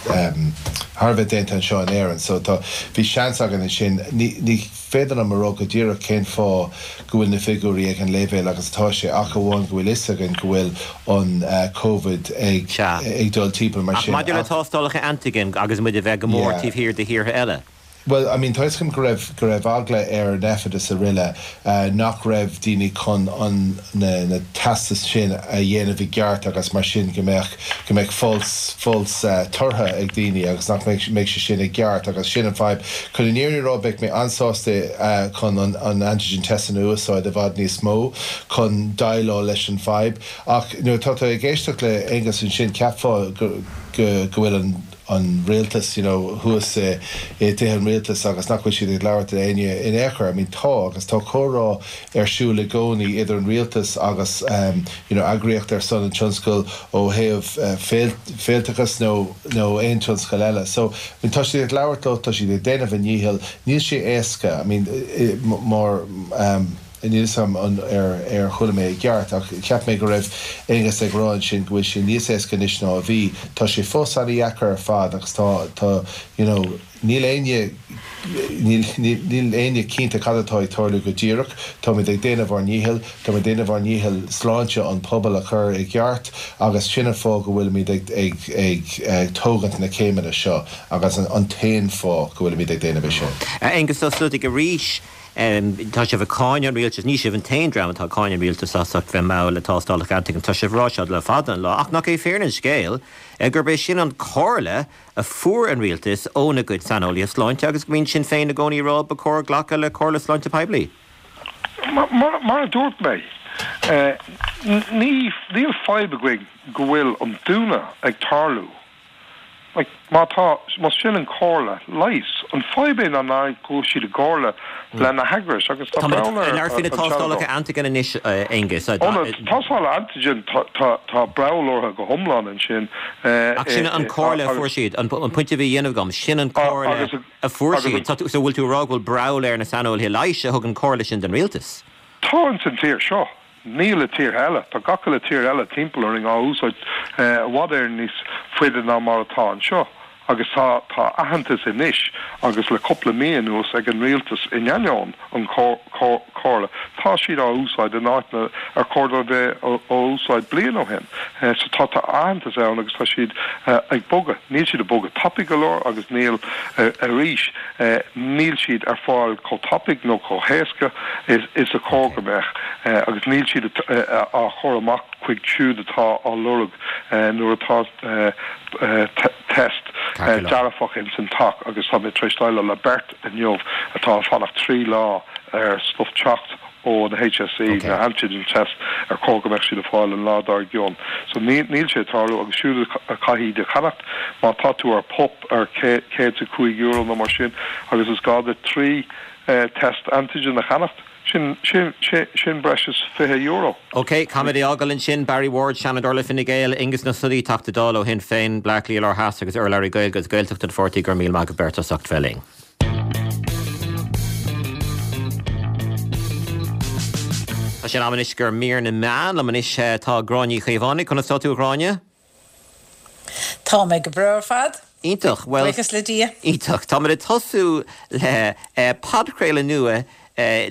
thar a bheith déanta anseo in Éirinn so tá bhí seans againn ansin ní ní féidir liom a rá go díreach cén fáth go bhfuil na figiúirí ag an leibhéal agus atá sé ach amháin go bhfuil fhios againn go bhfuil an Covid ag ag dul timpeall mar sin. Ach maidir le tástálacha antigen agus muid a bheith go mór taobh thiar de thíortha eile. Bhuel, I mean, tá fhios agam go raibh, go raibh eagla ar NPHET is araile nach raibh daoine chun an, na, na teastais sin a dhéanamh i gceart agus mar sin go mbeadh, go mbeadh false, false tortha ag daoine agus nach mbeadh, mbeadh sé sin i gceart agus sin an fadhb. Chun an fhírinne a rá beidh mé an-sásta chun an, an antigen test a úsáid i bhfad níos mó chun déileáil leis an fadhb ach nuair atá tú ag éisteacht le Aengus ansin cheapfá go, go, go bhfuil an, an rialtas you know thuas i dtithe an rialtais agus nach bhfuil siad ag labhairt le éinne in aon chor. I mean tá agus tá comhrá ar siúl i gcónaí idir an rialtas agus um you know eagraíocht ar son an tionscail ó thaobh uh, féilteachas nó nó aon tionscal eile. So I mean, tá siad ag labhairt leo, tá siad ag déanamh a ndícheall, níl sé éasca I mean mar um, Níl fhios agam an ar ar chuala mé i gceart ach cheap mé go raibh Aengus ag rá ansin go bhfuil sé níos éasca anois ná a bhí. Tá sé fós an-dheacair ar fad agus tá tá you know níl éinne níl níl níl éinne cinnte cad atá ag tarlú go díreach. Táimid ag déanamh ár ndícheall, táimid ag déanamh ár ndícheall sláinte an pobail a chur i gceart agus sin an fáth go bhfuilimid ag ag ag ag tógaint na céimeanna seo agus an an t-aon fáth go bhfuilimid ag déanamh é sin. Aengus Ó Snodaigh arís. Tá sibh ag cáineadh an rialtais, ní sibh an t-aon dream atá ag cáineadh an rialtais as ucht bheith mall le tástálacha antigen, tá sibh ag rá seo le fada an lá, ach nach é fírinne an scéil gurb é sin an chomhairle a fuair an rialtas óna gcuid saineolaithe sláinte agus go mbíonn Sinn Féin i gcónaí ag rá ba chóir glacadh le comhairle sláinte poiblí? Mar a dúirt mé, níl fadhb againn go bhfuil an dúnadh ag tarlú. Like, má tá, más sin an chomhairle leighis, an fadhb é ná nach bhfuil siad i gcomhairle le na heagrais agus tá breall ar Ar faoi na tástálacha antigen anois, Aengus. Ó, na tástálacha antigen, tá, tá, tá breall orthu go hiomlán ansin. Ach sin an chomhairle a fuair siad, an pointe a bhí á dhéanamh agam, sin an chomhairle a fuair siad. So bhfuil tú ag rá go bhfuil breall ar na saineolaithe leighis a thug an chomhairle sin don rialtas? Tá ins an tír seo. Níl i tíortha eile. Tá gach uile tír eile timpeall orainn á úsáid i bhfad Éireann níos faide ná mar atá anseo. Agus tá tá aitheantas anois agus le cúpla mí anuas ag an rialtas in ainneoin an chomhairle. Tá siad á úsáid in áiteanna ar chóir dóibh bheith á úsáid bliain ó shin. So tá tá aitheantas ann agus tá siad ag bogadh. Níl siad ag bogadh tapaidh go leor agus níl arís níl siad ar fáil chomh tapaidh nó chomh héasca is is a chóir go mbeadh agus níl siad á chur amach chuig siúd atá á lorg nuair atá test dearfach ins an teach agus tá mé tar éis déileáil le beirt inniu atá ag fanacht trí lá ar stuif teacht ó na HSE, na antigen test ar chóir go mbeadh siad ag fáil an lá dár gcionn. So níl sé ag tarlú agus siúd a chaithfidh iad a cheannacht má tá tú ar PUP ar céad is a cúig euro nó mar sin agus is gá duit trí test antigen a cheannacht, sin, sin, sin, sin breis is fiche euro. Ok, caithfimid é a fhágáil ansin, Barry Ward, Seanadóir le Fine Gael, Aengus Ó Snodaigh, Teachta Dála ó Shinn Féin, Bleá Cliath Láir Theas agus urlabhraí Gaeilge agus Gaeltachta an pháirtí, go raibh míle maith agaibh beirt as ucht bheith linn. Tá sé in am anois do mhír na meán. Liom anois tá Gráinne Ní Chaomhánaigh. Conas tá tú a Ghráinne? Tá mé go breá ar fad. Iontach. Bhuel. Buíochas le Dia. Iontach. Táimid ag tosú le podchraoladh nua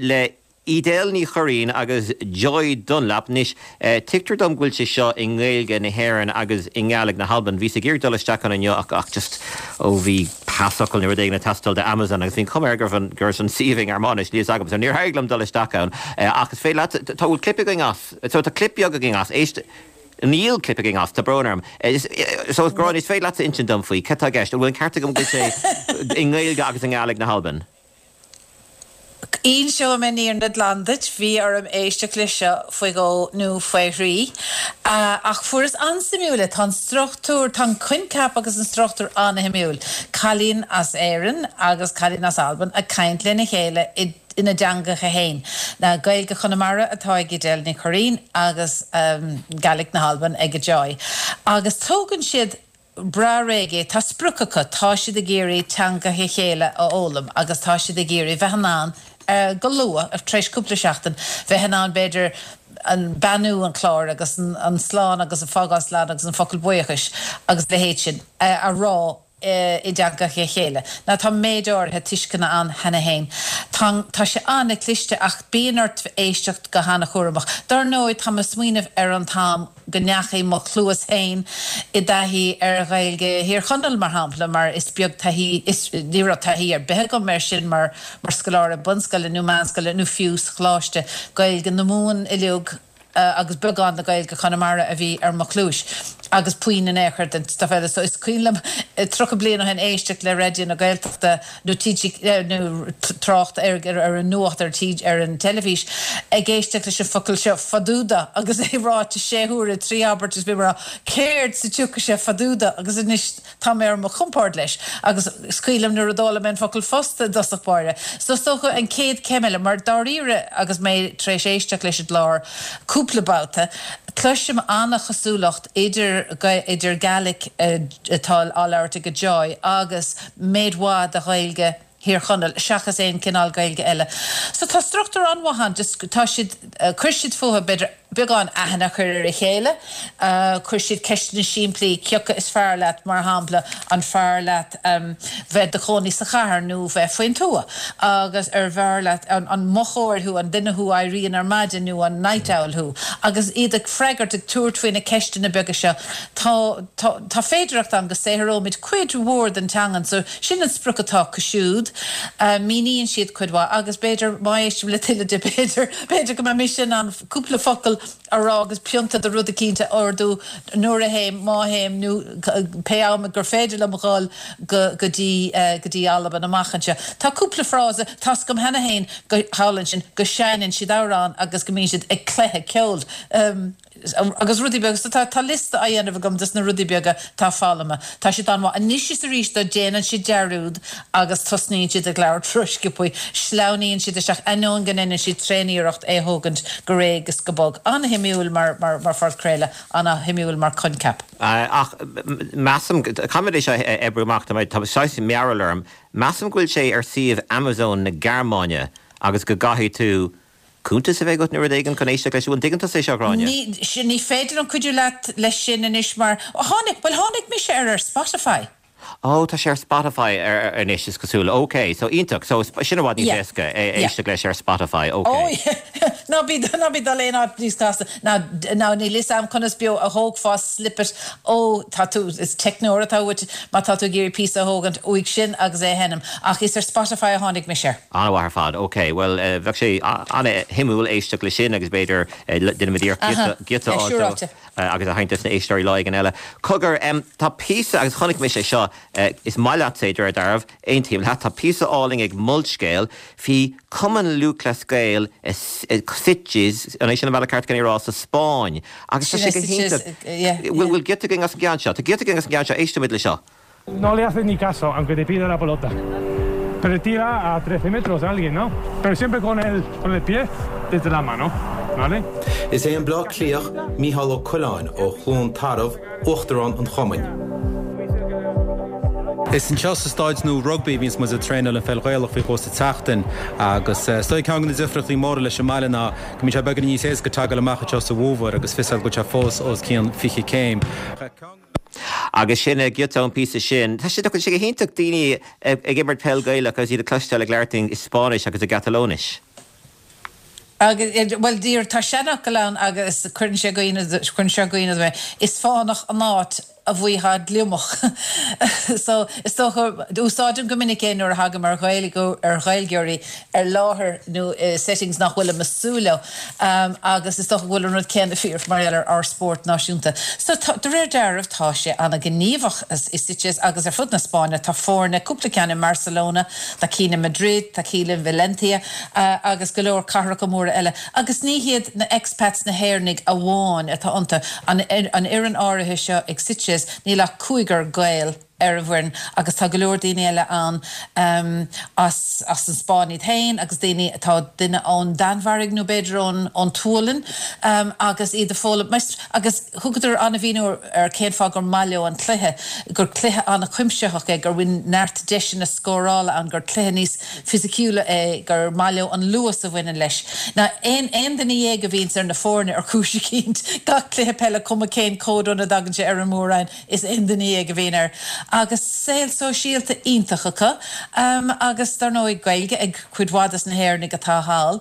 le Edel Ní Churraoin agus Joy Dunlop. Anois, tuigtear dom go bhfuil sé seo i nGaeilge na hÉireann agus i nGàidhlig na hAlban. Bhíos ag iarraidh dul isteach ann inniu ach ach just, ó bhí pasfhocal nó rud éigin ag teastáil do Amazon agus bhí an chuma air go raibh an, go raibh an suíomh i nGearmáinis, níl fhios agam, so níor éirigh liom dul isteach ann. Ach is féidir leat, tá, bhfuil clip againn as? So tá clip beag againn as, éist, níl clip againn as, tá brón orm. So Gráinne, is féidir leatsa insint dom faoi, cad tá i gceist? An bhfuil an ceart agam go bhfuil sé i nGaeilge agus i nGàidhlig na hAlban? Inseoidh mé an fhírinne glan duit, bhí orm éisteacht leis seo faoi dhó nó faoi thrí. Ach fuaireas an-suimiúil é. Tá an struchtúr, tá an coincheap agus an struchtúr an-shuimiúil. Cailín as Éirinn agus cailín as Albain ag caint lena chéile ina dteangacha féin. Gaeilge Chonamara atá ag Edel Ní Churraoin agus Gàidhlig na hAlban ag Joy. Agus tógann siad breá réidh é. Tá sprioc acu, tá siad ag iarraidh teangacha a chéile a fhoghlaim agus tá siad ag iarraidh bheith in ann, go luath, tar éis cúpla seachtain, bheith in ann, b'fhéidir, an beannú an chláir agus an slán agus an fágáil slán agus an focal buíochais agus a leithéid sin a rá i dteangacha a chéile. Now tá méid áirithe tuisceana ann cheana féin. Tá tá sé an-chliste ach bíonn ort éisteacht go han-chúramach. Dar ndóigh tá mé ag smaoineamh ar an t-am go ndeachaigh mo chluas féin i dtaithí ar Ghaeilge Thír Chonaill mar shampla mar is beag taithí is ní raibh taithí ar bith agam air sin mar mar scoláire bunscoile nó meánscoile nó fiú sa choláiste. Gaeilge na Mumhan uilig agus beagán de Ghaeilge Chonamara a bhí ar mo chluais agus puinn in aon chor den stuif eile. So is cuimhin liom tríocha bliain ó shin éisteacht le Raidió na Gaeltachta nó T G nó trácht ar ar an nuacht ar ar an teilifís ag éisteacht leis an focal seo faduda agus é ráite sé huaire trí abairt is bhí mé céard sa tsioca sé faduda agus anois tá mé ar mo chompord leis agus is cuimhin liom nuair a d'fhoghlaim mé an focal fosta i dtosach báire. So is dócha an chéad chéim eile mar dáiríre agus mé tar éis éisteacht leis an gclár cúpla babhta, cloisim an-chosúlacht idir idir Gaelic atá á labhairt ag Joy agus méid mhaith de Ghaeilge Thír Chonaill, seachas aon cineál Gaeilge eile. So tá struchtúr an-mhaith ann, just tá siad, chuir siad fúthu b'fhéidir beagán aithne a chur ar a chéile, chuir siad ceisteanna simplí, cioca is fearr leat, mar shampla, an fearr leat bheith do chónaí sa chathair nó bheith faoin tuath agus ar bhfearr leat, an mochóir thú, an duine thú a éiríonn ar maidin nó an night owl thú? Agus iad ag freagairt, ag tabhairt faoi na ceisteanna beaga seo, tá, tá, tá féidearthacht ann go saothróimid cuid mhór den teangan. So sin an sprioc atá acu siúd. Míníonn siad cuid mhaith agus b'fhéidir má éistim le tuilleadh de b'fhéidir, b'fhéidir go mbeidh mise in ann cúpla focal a rá agus pionta de rud eicínt a ordú nuair a théim, má théim nó pé am gur féidir liom a dhul go go dtí go dtí Albain amach anseo. Tá cúpla frása, tá's agam cheana féin go thall ansin go seinneann siad amhrán agus go mbíonn siad ag cluiche ceoil agus rudaí beaga. So tá tá liosta á dhéanamh agam des na rudaí beaga atá foghlamtha. Tá siad an-mhaith. Anois is arís dó déanann siad dearúd agus tosnaíonn siad ag labhairt rósciobtha, sleamhnaíonn siad isteach, ainneoin go ndéanann siad tréaniarracht é a thógaint go réidh is go bog. An-shuimiúil mar mar mar phodchraoladh, an-shuimiúil mar choincheap. Ach measaim, caithfidh mé é seo a oibriú amach, tá mé, tá saghas mearbhall orm, measaim go bhfuil sé ar suíomh Amazon na Gearmáine agus go gcaithfidh tú cuntas a bheith agat nó rud éigin chun éisteacht leis. An dtuigeann tusa é seo, a Ghráinne? Ní, ní féidir liom cuidiú leat leis sin anois mar, tháinig, bhuel tháinig mise air ar Spotify. Ó, tá sé ar Spotify anois is cosúil. Ok, so iontach. So sin i bhfad níos éasca éisteacht leis ar Spotify. Ok. Ó, ná bí, ná bí dul aon áit níos casta. Ná, ná níl fhios a'm conas beo a thógfá snippet ó, tá tú, is teicneoir atá uait má tá tú ag iarraidh píosa a thógaint uaidh sin agus é a sheinm. Ach is ar Spotify a tháinig mise air. An-mhaith ar fad. Ok, bhuel bheadh sé an-shuimiúil éisteacht leis sin agus b'fhéidir déanfaimid iarracht giota a fháil dó agus a sheinnt dos na éisteoirí lá éigin eile. Cogar, tá píosa, agus chonaic mise é seo, is maith leat é de réir dealraimh, aontaím leat, tá píosa álainn ag Molscéal faoi Cumann Lúthchleas Gael i Sitges, an é sin an bealach ceart chun é a rá, sa Spáinn agus tá sé go hiontach. Bhfuil giota againn as an gceann seo? Tá giota againn as an gceann seo, éistimid le seo. No le haces ni caso, aunque te pida la pelota. Pero tira a trece metros a alguien, ¿no? Pero siempre con el, con el pie desde la mano, ¿vale? Is é an Bleá Cliathach Mícheál Ó Coileáin ó Chluain Tarbh uachtarán an chumainn. Is anseo sa staid nua rugbaí a bhíonns muid ag traenáil an pheil Ghaelach faoi dhó sa tseachtain agus is dóigh ceann de na difríochtaí móra leis an mbaile ná go mbíonn sé beagán níos éasca teacht amach anseo sa bhfómhar agus fios go bhfuil sé fós os cionn fiche céim. Agus sin giota ón píosa sin. Tá sé go sé go hiontach daoine ag imirt peil Gaelach agus iad ag cloisteáil ag labhairt i Spáinnis agus i gCatalóinis. Agus, bhuel, díreach, tá seanfhocal ann agus cuireann sé i gcuimhne, cuireann sé i gcuimhne dom é, is fánach an áit a bhfaightheá gliomach. So, is dócha, úsáidim go minic é nuair a thagaim ar Ghaeilge, ar Ghaeilgeoirí ar láthair nó i settings nach bhfuilim ag súil leo. Agus is dócha go bhfuil an rud céanna fíor mar gheall ar ár spórt náisiúnta. So, tá, de réir dealraimh, tá sé an-ghníomhach i Sitges agus ar fud na Spáinne. Tá foirne, cúpla ceann i mBarcelona, tá cinn i Madrid, tá cinn i Valencia agus go leor cathracha móra eile. Agus ní hiad na expats, na hÉireannaigh amháin atá iontu. An fhoireann áirithe seo ag Sitges, níl ach cúigear Gael ar an bhfoireann agus tá go leor daoine eile ann as as an Spáinn iad féin agus daoine, tá duine ón Danmhairg nó b'fhéidir ón ón tSualainn agus iad ag foghlaim agus thugadar an-mhíniú ar cén fáth gur maith leo an cluiche, gur cluiche an-chuimsitheach é, gur bhfuil neart deiseanna scórála ann, gur cluiche níos fisiciúla é, gur maith leo an luas a bhaineann leis. Now aon aon duine dhéag a bhíonns ar na foirne ar chúis eicínt, gach cluiche peile cuma cén cód óna dtagann sé ar an mór-roinn, is aon duine dhéag a bhíonn air. Agus saol sóisialta iontach acu agus dar ndóigh Gaeilge ag cuid mhaith des na hÉireannaigh atá thall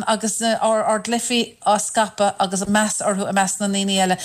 agus ár ár gcluichí á scaipeadh agus meas orthu i measc na ndaoine eile.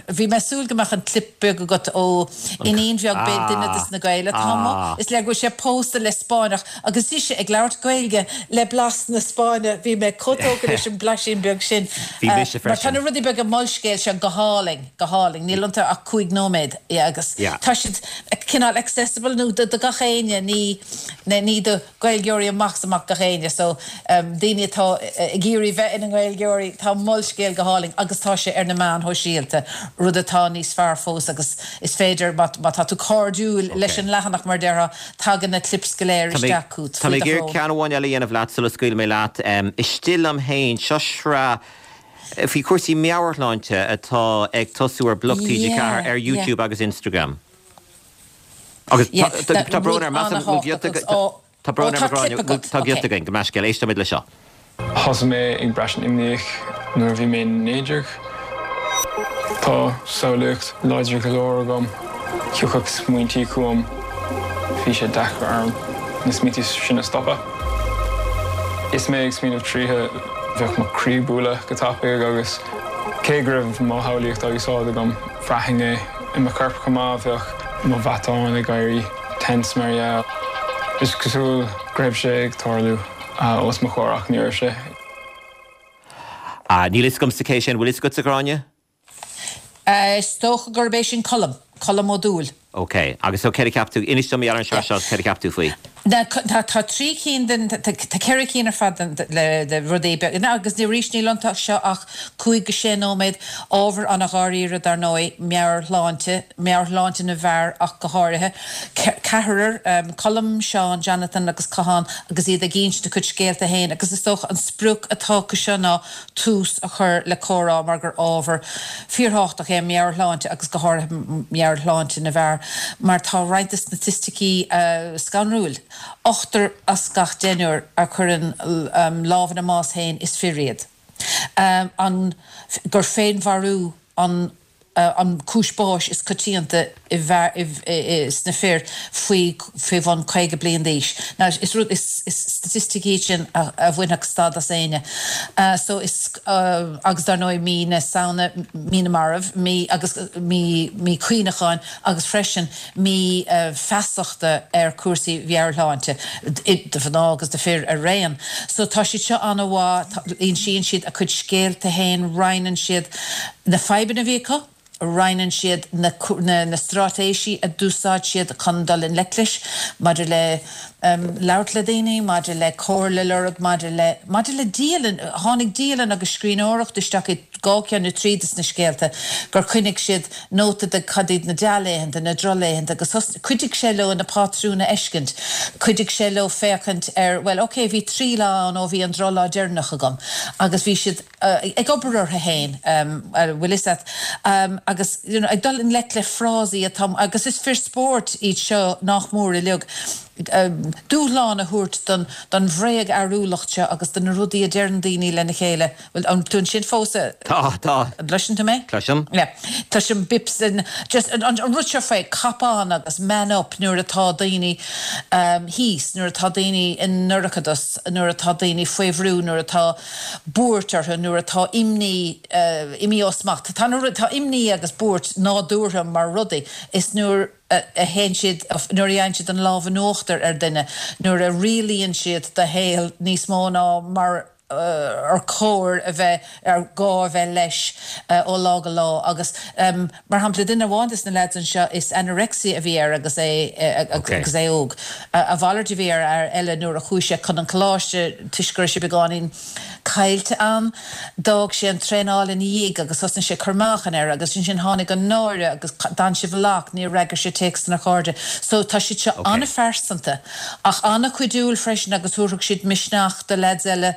Bhí mé ag súil go mbeadh an clip beag agat ó iníon bheag duine des na Gaeil atá amuigh. Is léir go bhfuil sé pósta le Spáinneach agus ise ag labhairt Gaeilge le blas na Spáinne. Bhí mé chomh tógtha leis an blaisín beag sin. Bhí mise Mar tá freisin. na rudaí beaga Molscéal seo go hálainn, go hálainn. Níl iontu ach cúig nóiméad agus tá siad cineál accessible nó do gach éinne, ní ní do Ghaeilgeoirí amach is amach gach éinne. So daoine atá ag iarraidh bheith ina nGaeilgeoirí, tá Molscéal go hálainn agus tá sé ar na meáin shóisialta, rud atá níos fearr fós agus is féidir má tá tú cairdiúil leis an leathanach mar déarfá, tagann na clips go léir isteach chugat Tá faoi mé do ag iarraidh shrón. ceann amháin eile a dhéanamh leat sula scaoilfidh mé leat. Istigh liom féin, seo sraith faoi chúrsaí meabhairshláinte atá ag tosú ar Bloc T G ceathair ar YouTube agus Instagram. Agus tá brón orm tá brón tá giota againn go meiscéil éistimid le seo. Thosaigh mé ag braistint imníoch nuair a bhí mé naoi déag. Tá samhlaíocht láidir go leor agam, thiocfadh smaointí chugam, bhí sé deacair orm na smaointí sin a stopadh. Is mé ag smaoineamh tríothu bheadh mo chroí ag bualadh go tapaidh agus cé go raibh mo shamhlaíocht á úsáid agam bhraithinn é i mo chorp chomh maith bheadh mo mhatáin ag éirí tense mar dhea. Is cosúil go raibh sé ag tarlú os mo chomhair ach ní raibh sé. Ah, níl a fhios agamsa cé sin bhfuil a fhios agatsa a Ghráinne? Is dócha gurb é sin Colm, Colm Ó Dúill. Ok, agus so céard a cheap tú inis dom ar an seo seo céard a cheap tú faoi. Tá tá trí cinn den tá ceithre cinn ar fad le de rudaí beaga agus ní arís níl iontu seo ach cúig go sé nóiméad ábhar an-dháiríre dar ndóigh meabhairshláinte, meabhairshláinte na bhfear ach go háirithe. Ceathrar Colm, Seán, Jonathan agus Cathán agus iad ag insint a gcuid scéalta féin agus is dócha an sprioc atá acu seo ná tús a chur le comhrá mar gur ábhar fíorthábhachtach é meabhairshláinte agus go háirithe meabhairshláinte na bhfear mar tá roinnt de staitisticí scanrúil. Ochtar as gach deichniúr a chuireann lámh ina mbás féin is fir iad. An gur féinmharú an an cúis báis is coitianta i sna fir faoi faoi bhun caoga bliain d'aois. Now is rud is is staitistic iad sin a a bhainfeadh stad as éinne. So is agus dar ndóigh mí na Samhna, mí na marbh, mí agus mí mí cuimhneacháin agus freisin mí feasachta ar cúrsaí meabhairshláinte do mhná agus do fir araon. So tá siad seo an-mhaith, insíonn siad a gcuid scéalta féin, roinneann siad na fadhbanna a bhí acu, roinneann siad na na straitéisí a d'úsáid siad chun dul i ngleic leis, maidir le labhairt le daoine, maidir le comhairle a lorg, maidir le maidir le dialann, tháinig dialann agus scríbhneoireacht isteach i dhá cheann nó trí de na scéalta, gur choinnigh siad nóta de cad iad na dea-laethanta, na drochlaethanta agus chuidigh sé leo na pátrúin a fheiscint, chuidigh sé leo féachaint ar, bhuel, ok, bhí trí lá ann ó bhí an drochlá deireanach agam agus bhí siad ag obair orthu féin, bhfuil fhios a't, agus you know ag dul i ngleic le frásaí atá, agus is fir spóirt iad seo nach mór uilig, dúshlán a thabhairt don don bhréagfhearúlacht seo agus do na rudaí a deireann daoine lena chéile. Bhuel, an tú ansin fós? Tá, tá. An gcloiseann tú mé? Cloisim. Yeah. Cloisim bips and just an an rud seo faoi cop on agus man up nuair atá daoine thíos, nuair atá daoine i ndorchadas, nuair atá daoine faoi bhrú, nuair atá buairt orthu, nuair atá imní imithe ó smacht. Tá na tá imní agus buairt nádúrtha mar rudaí. Is nuair a théann siad, nuair a fhaigheann siad an lámh in uachtar ar dhuine, nuair a rialaíonn siad do shaol níos mó ná mar ar chóir a bheith, ar gá a bheith leis ó lá go lá. Agus mar shampla, duine amháin de na lads anseo, is anorexia a bhí air agus é agus é óg. A mhalairt a bhí ar fhear eile nuair a chuaigh sé chun an choláiste toisc go raibh sé beagáinín caillte ann. D'fhág sé an traenáil ina dhiaidh agus thosnaigh sé ag cur meáchan air agus ansin tháinig an náire agus d'fhan sé i bhfolach, níor fhreagair sé téacsanna a chairde. So tá siad seo an-phearsanta ach an-chuidiúil freisin agus thabharfadh siad misneach do leaids eile.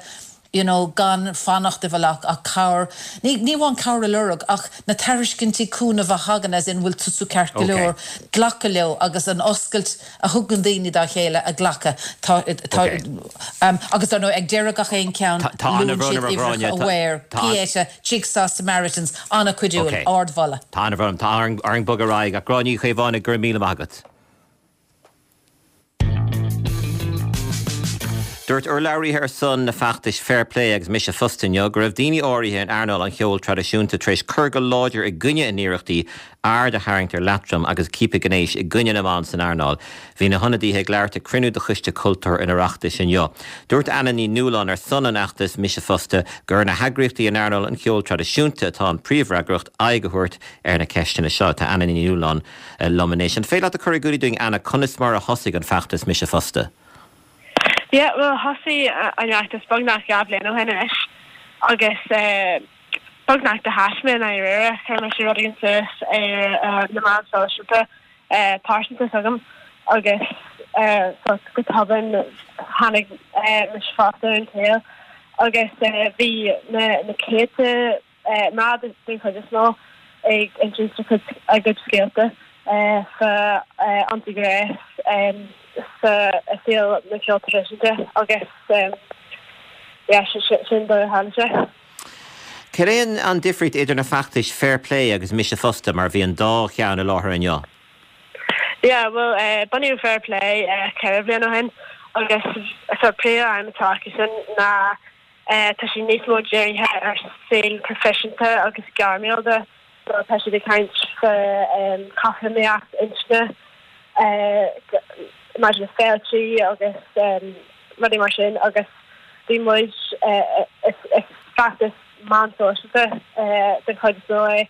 you know, gan fanacht i bhfolach ach cabhair, ní ní amháin cabhair a lorg ach na tairiscintí cúnaimh a thagann as in bhfuil tusa ceart go leor, glacadh leo agus an oscailt a thugann daoine dá chéile a ghlacadh. Tá tá um, agus dar ndóigh ag deireadh gach aon ceann Tá luann siad uimhreacha Aware, Pieta, Jigsaw Samaritans, an-chuidiúil, ardmholadh. Tá an tá ar an bogadh ar aghaidh ach Gráinne Ní Chaomhánaigh go raibh míle maith agat. Dúirt urlabhraithe ar son na feachtais Fair Plé agus Mise Fosta inniu go raibh daoine áirithe in earnáil an cheoil traidisiúnta tar éis cur go láidir i gcoinne a n-iarrachtaí aird a tharraingt ar leatrom agus ciapadh gnéis i gcoinne na mban san earnáil. Bhí na hionadaithe ag labhairt ag cruinniú de Choiste Cultúir an Oireachtais inniu. Dúirt Anna Ní Nualláin ar son an fheachtais Mise Fosta gur ar na heagraíochtaí in earnáil an cheoil traidisiúnta atá an príomhfhreagracht aghaidh a thabhairt ar na ceisteanna seo. Tá Anna Ní Nualláin liom anois. An féidir leat a chur in iúl dúinn Anna conas mar a thosaigh an feachtas Mise Fosta? Yeah, well thosaigh an feachtas beagnach dhá bhliain ó shin anois agus beagnach de thaisme i ndáiríre chuir mise rud éigin suas ar na meáin sóisialta pearsanta s'agam agus go tobann tháinig Mise Fosta ar an tsaol agus bhí na na céadta mná den chuid is mó ag insint a gcuid scéalta fá ionsaí gnéis sa saol na ceol traidisiúnta agus yeah sin dóigh a tharla sé. Cad é an difríocht idir na feachtais Fair Plé agus Mise Fosta mar bhí an dá cheann i láthair inniu? Yeah, well uh, bunaíodh Fair Plé uh, ceithre bliana ó shin agus so príomhaidhm atá acu sin ná uh, tá sí níos mó dírithe ar saol proifisiúnta agus gairmiúil de so tá siad ag caint fá um, cothromaíocht inscne uh, maidir le féilte agus um, rudaí mar sin agus bhí muid uh, is, is feachtas meán sóisialta uh, den chuid is mó é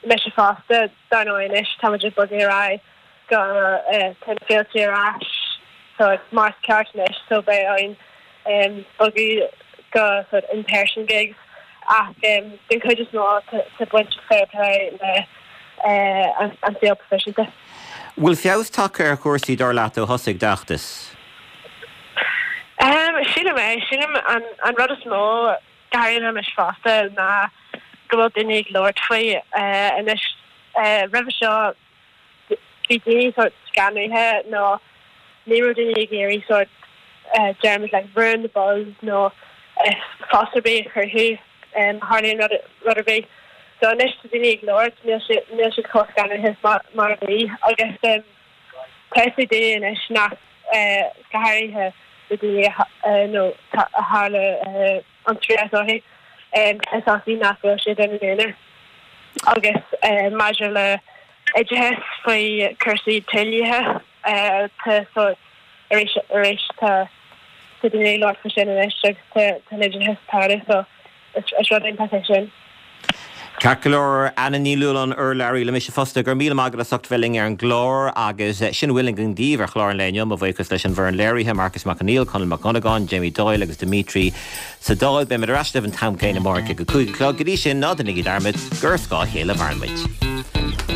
Mise Fosta dar ndóigh anois tá muid ag bogadh ar aghaidh go uh, tá na féilte ar ais so mar is ceart anois so beidh orainn um, bogadh go sort in person gigs ach um, den chuid is mó tá baint Fair Plé le uh, an, an saol proifisiúnta. Bhfuil feabhas tagtha ar chúrsaí dar leat ó thosaigh d'fheachtas? Um, sílim é sílim an, an rud is mó go háirithe Mise Fosta ná go bhfuil daoine ag labhairt faoi uh, anois uh, roimhe seo bhí daoine sort scanraithe nó ní raibh daoine ag iarraidh sort uh, deirimid like ruin the buzz nó uh, fás ar bith a chruthú um, tharlaíonn rud rud ar bith. So anois tá daoine ag labhairt níl siad níl siad chomh scanraithe mar mar a bhí agus um, tá a fhios ag daoine anois nach uh, go háirithe na daoine uh, nó a tharla uh, an tréas orthu um, is acu nach bhfuil siad ina n-aonar. Agus uh, maidir le oideachas faoi cúrsaí tuilithe uh, tá sort arís arís tá tá daoine ag labhairt faoi sin anois agus tá tá an oideachas tarlú so is is rud iontach é sin. Ceart go leor Anna Ní Nualláin urlabhraí le Mise Fosta go raibh míle maith agat as ucht bheith linn ar an gclár agus sin a bhfuil againn daoibh ar chlár an lae inniu mo bhuíochas leis an bhfoireann léirithe Marcus Mac Conghail, Conall Mac Dhonnagáin, Jamie Doyle agus Dimitri sa Dáil beimid ar ais libh an t-am céanna amárach ag a cúig a chlog go dtí sin ná déanaigí dearmad gur ar scáth a chéile a mhaireann muid.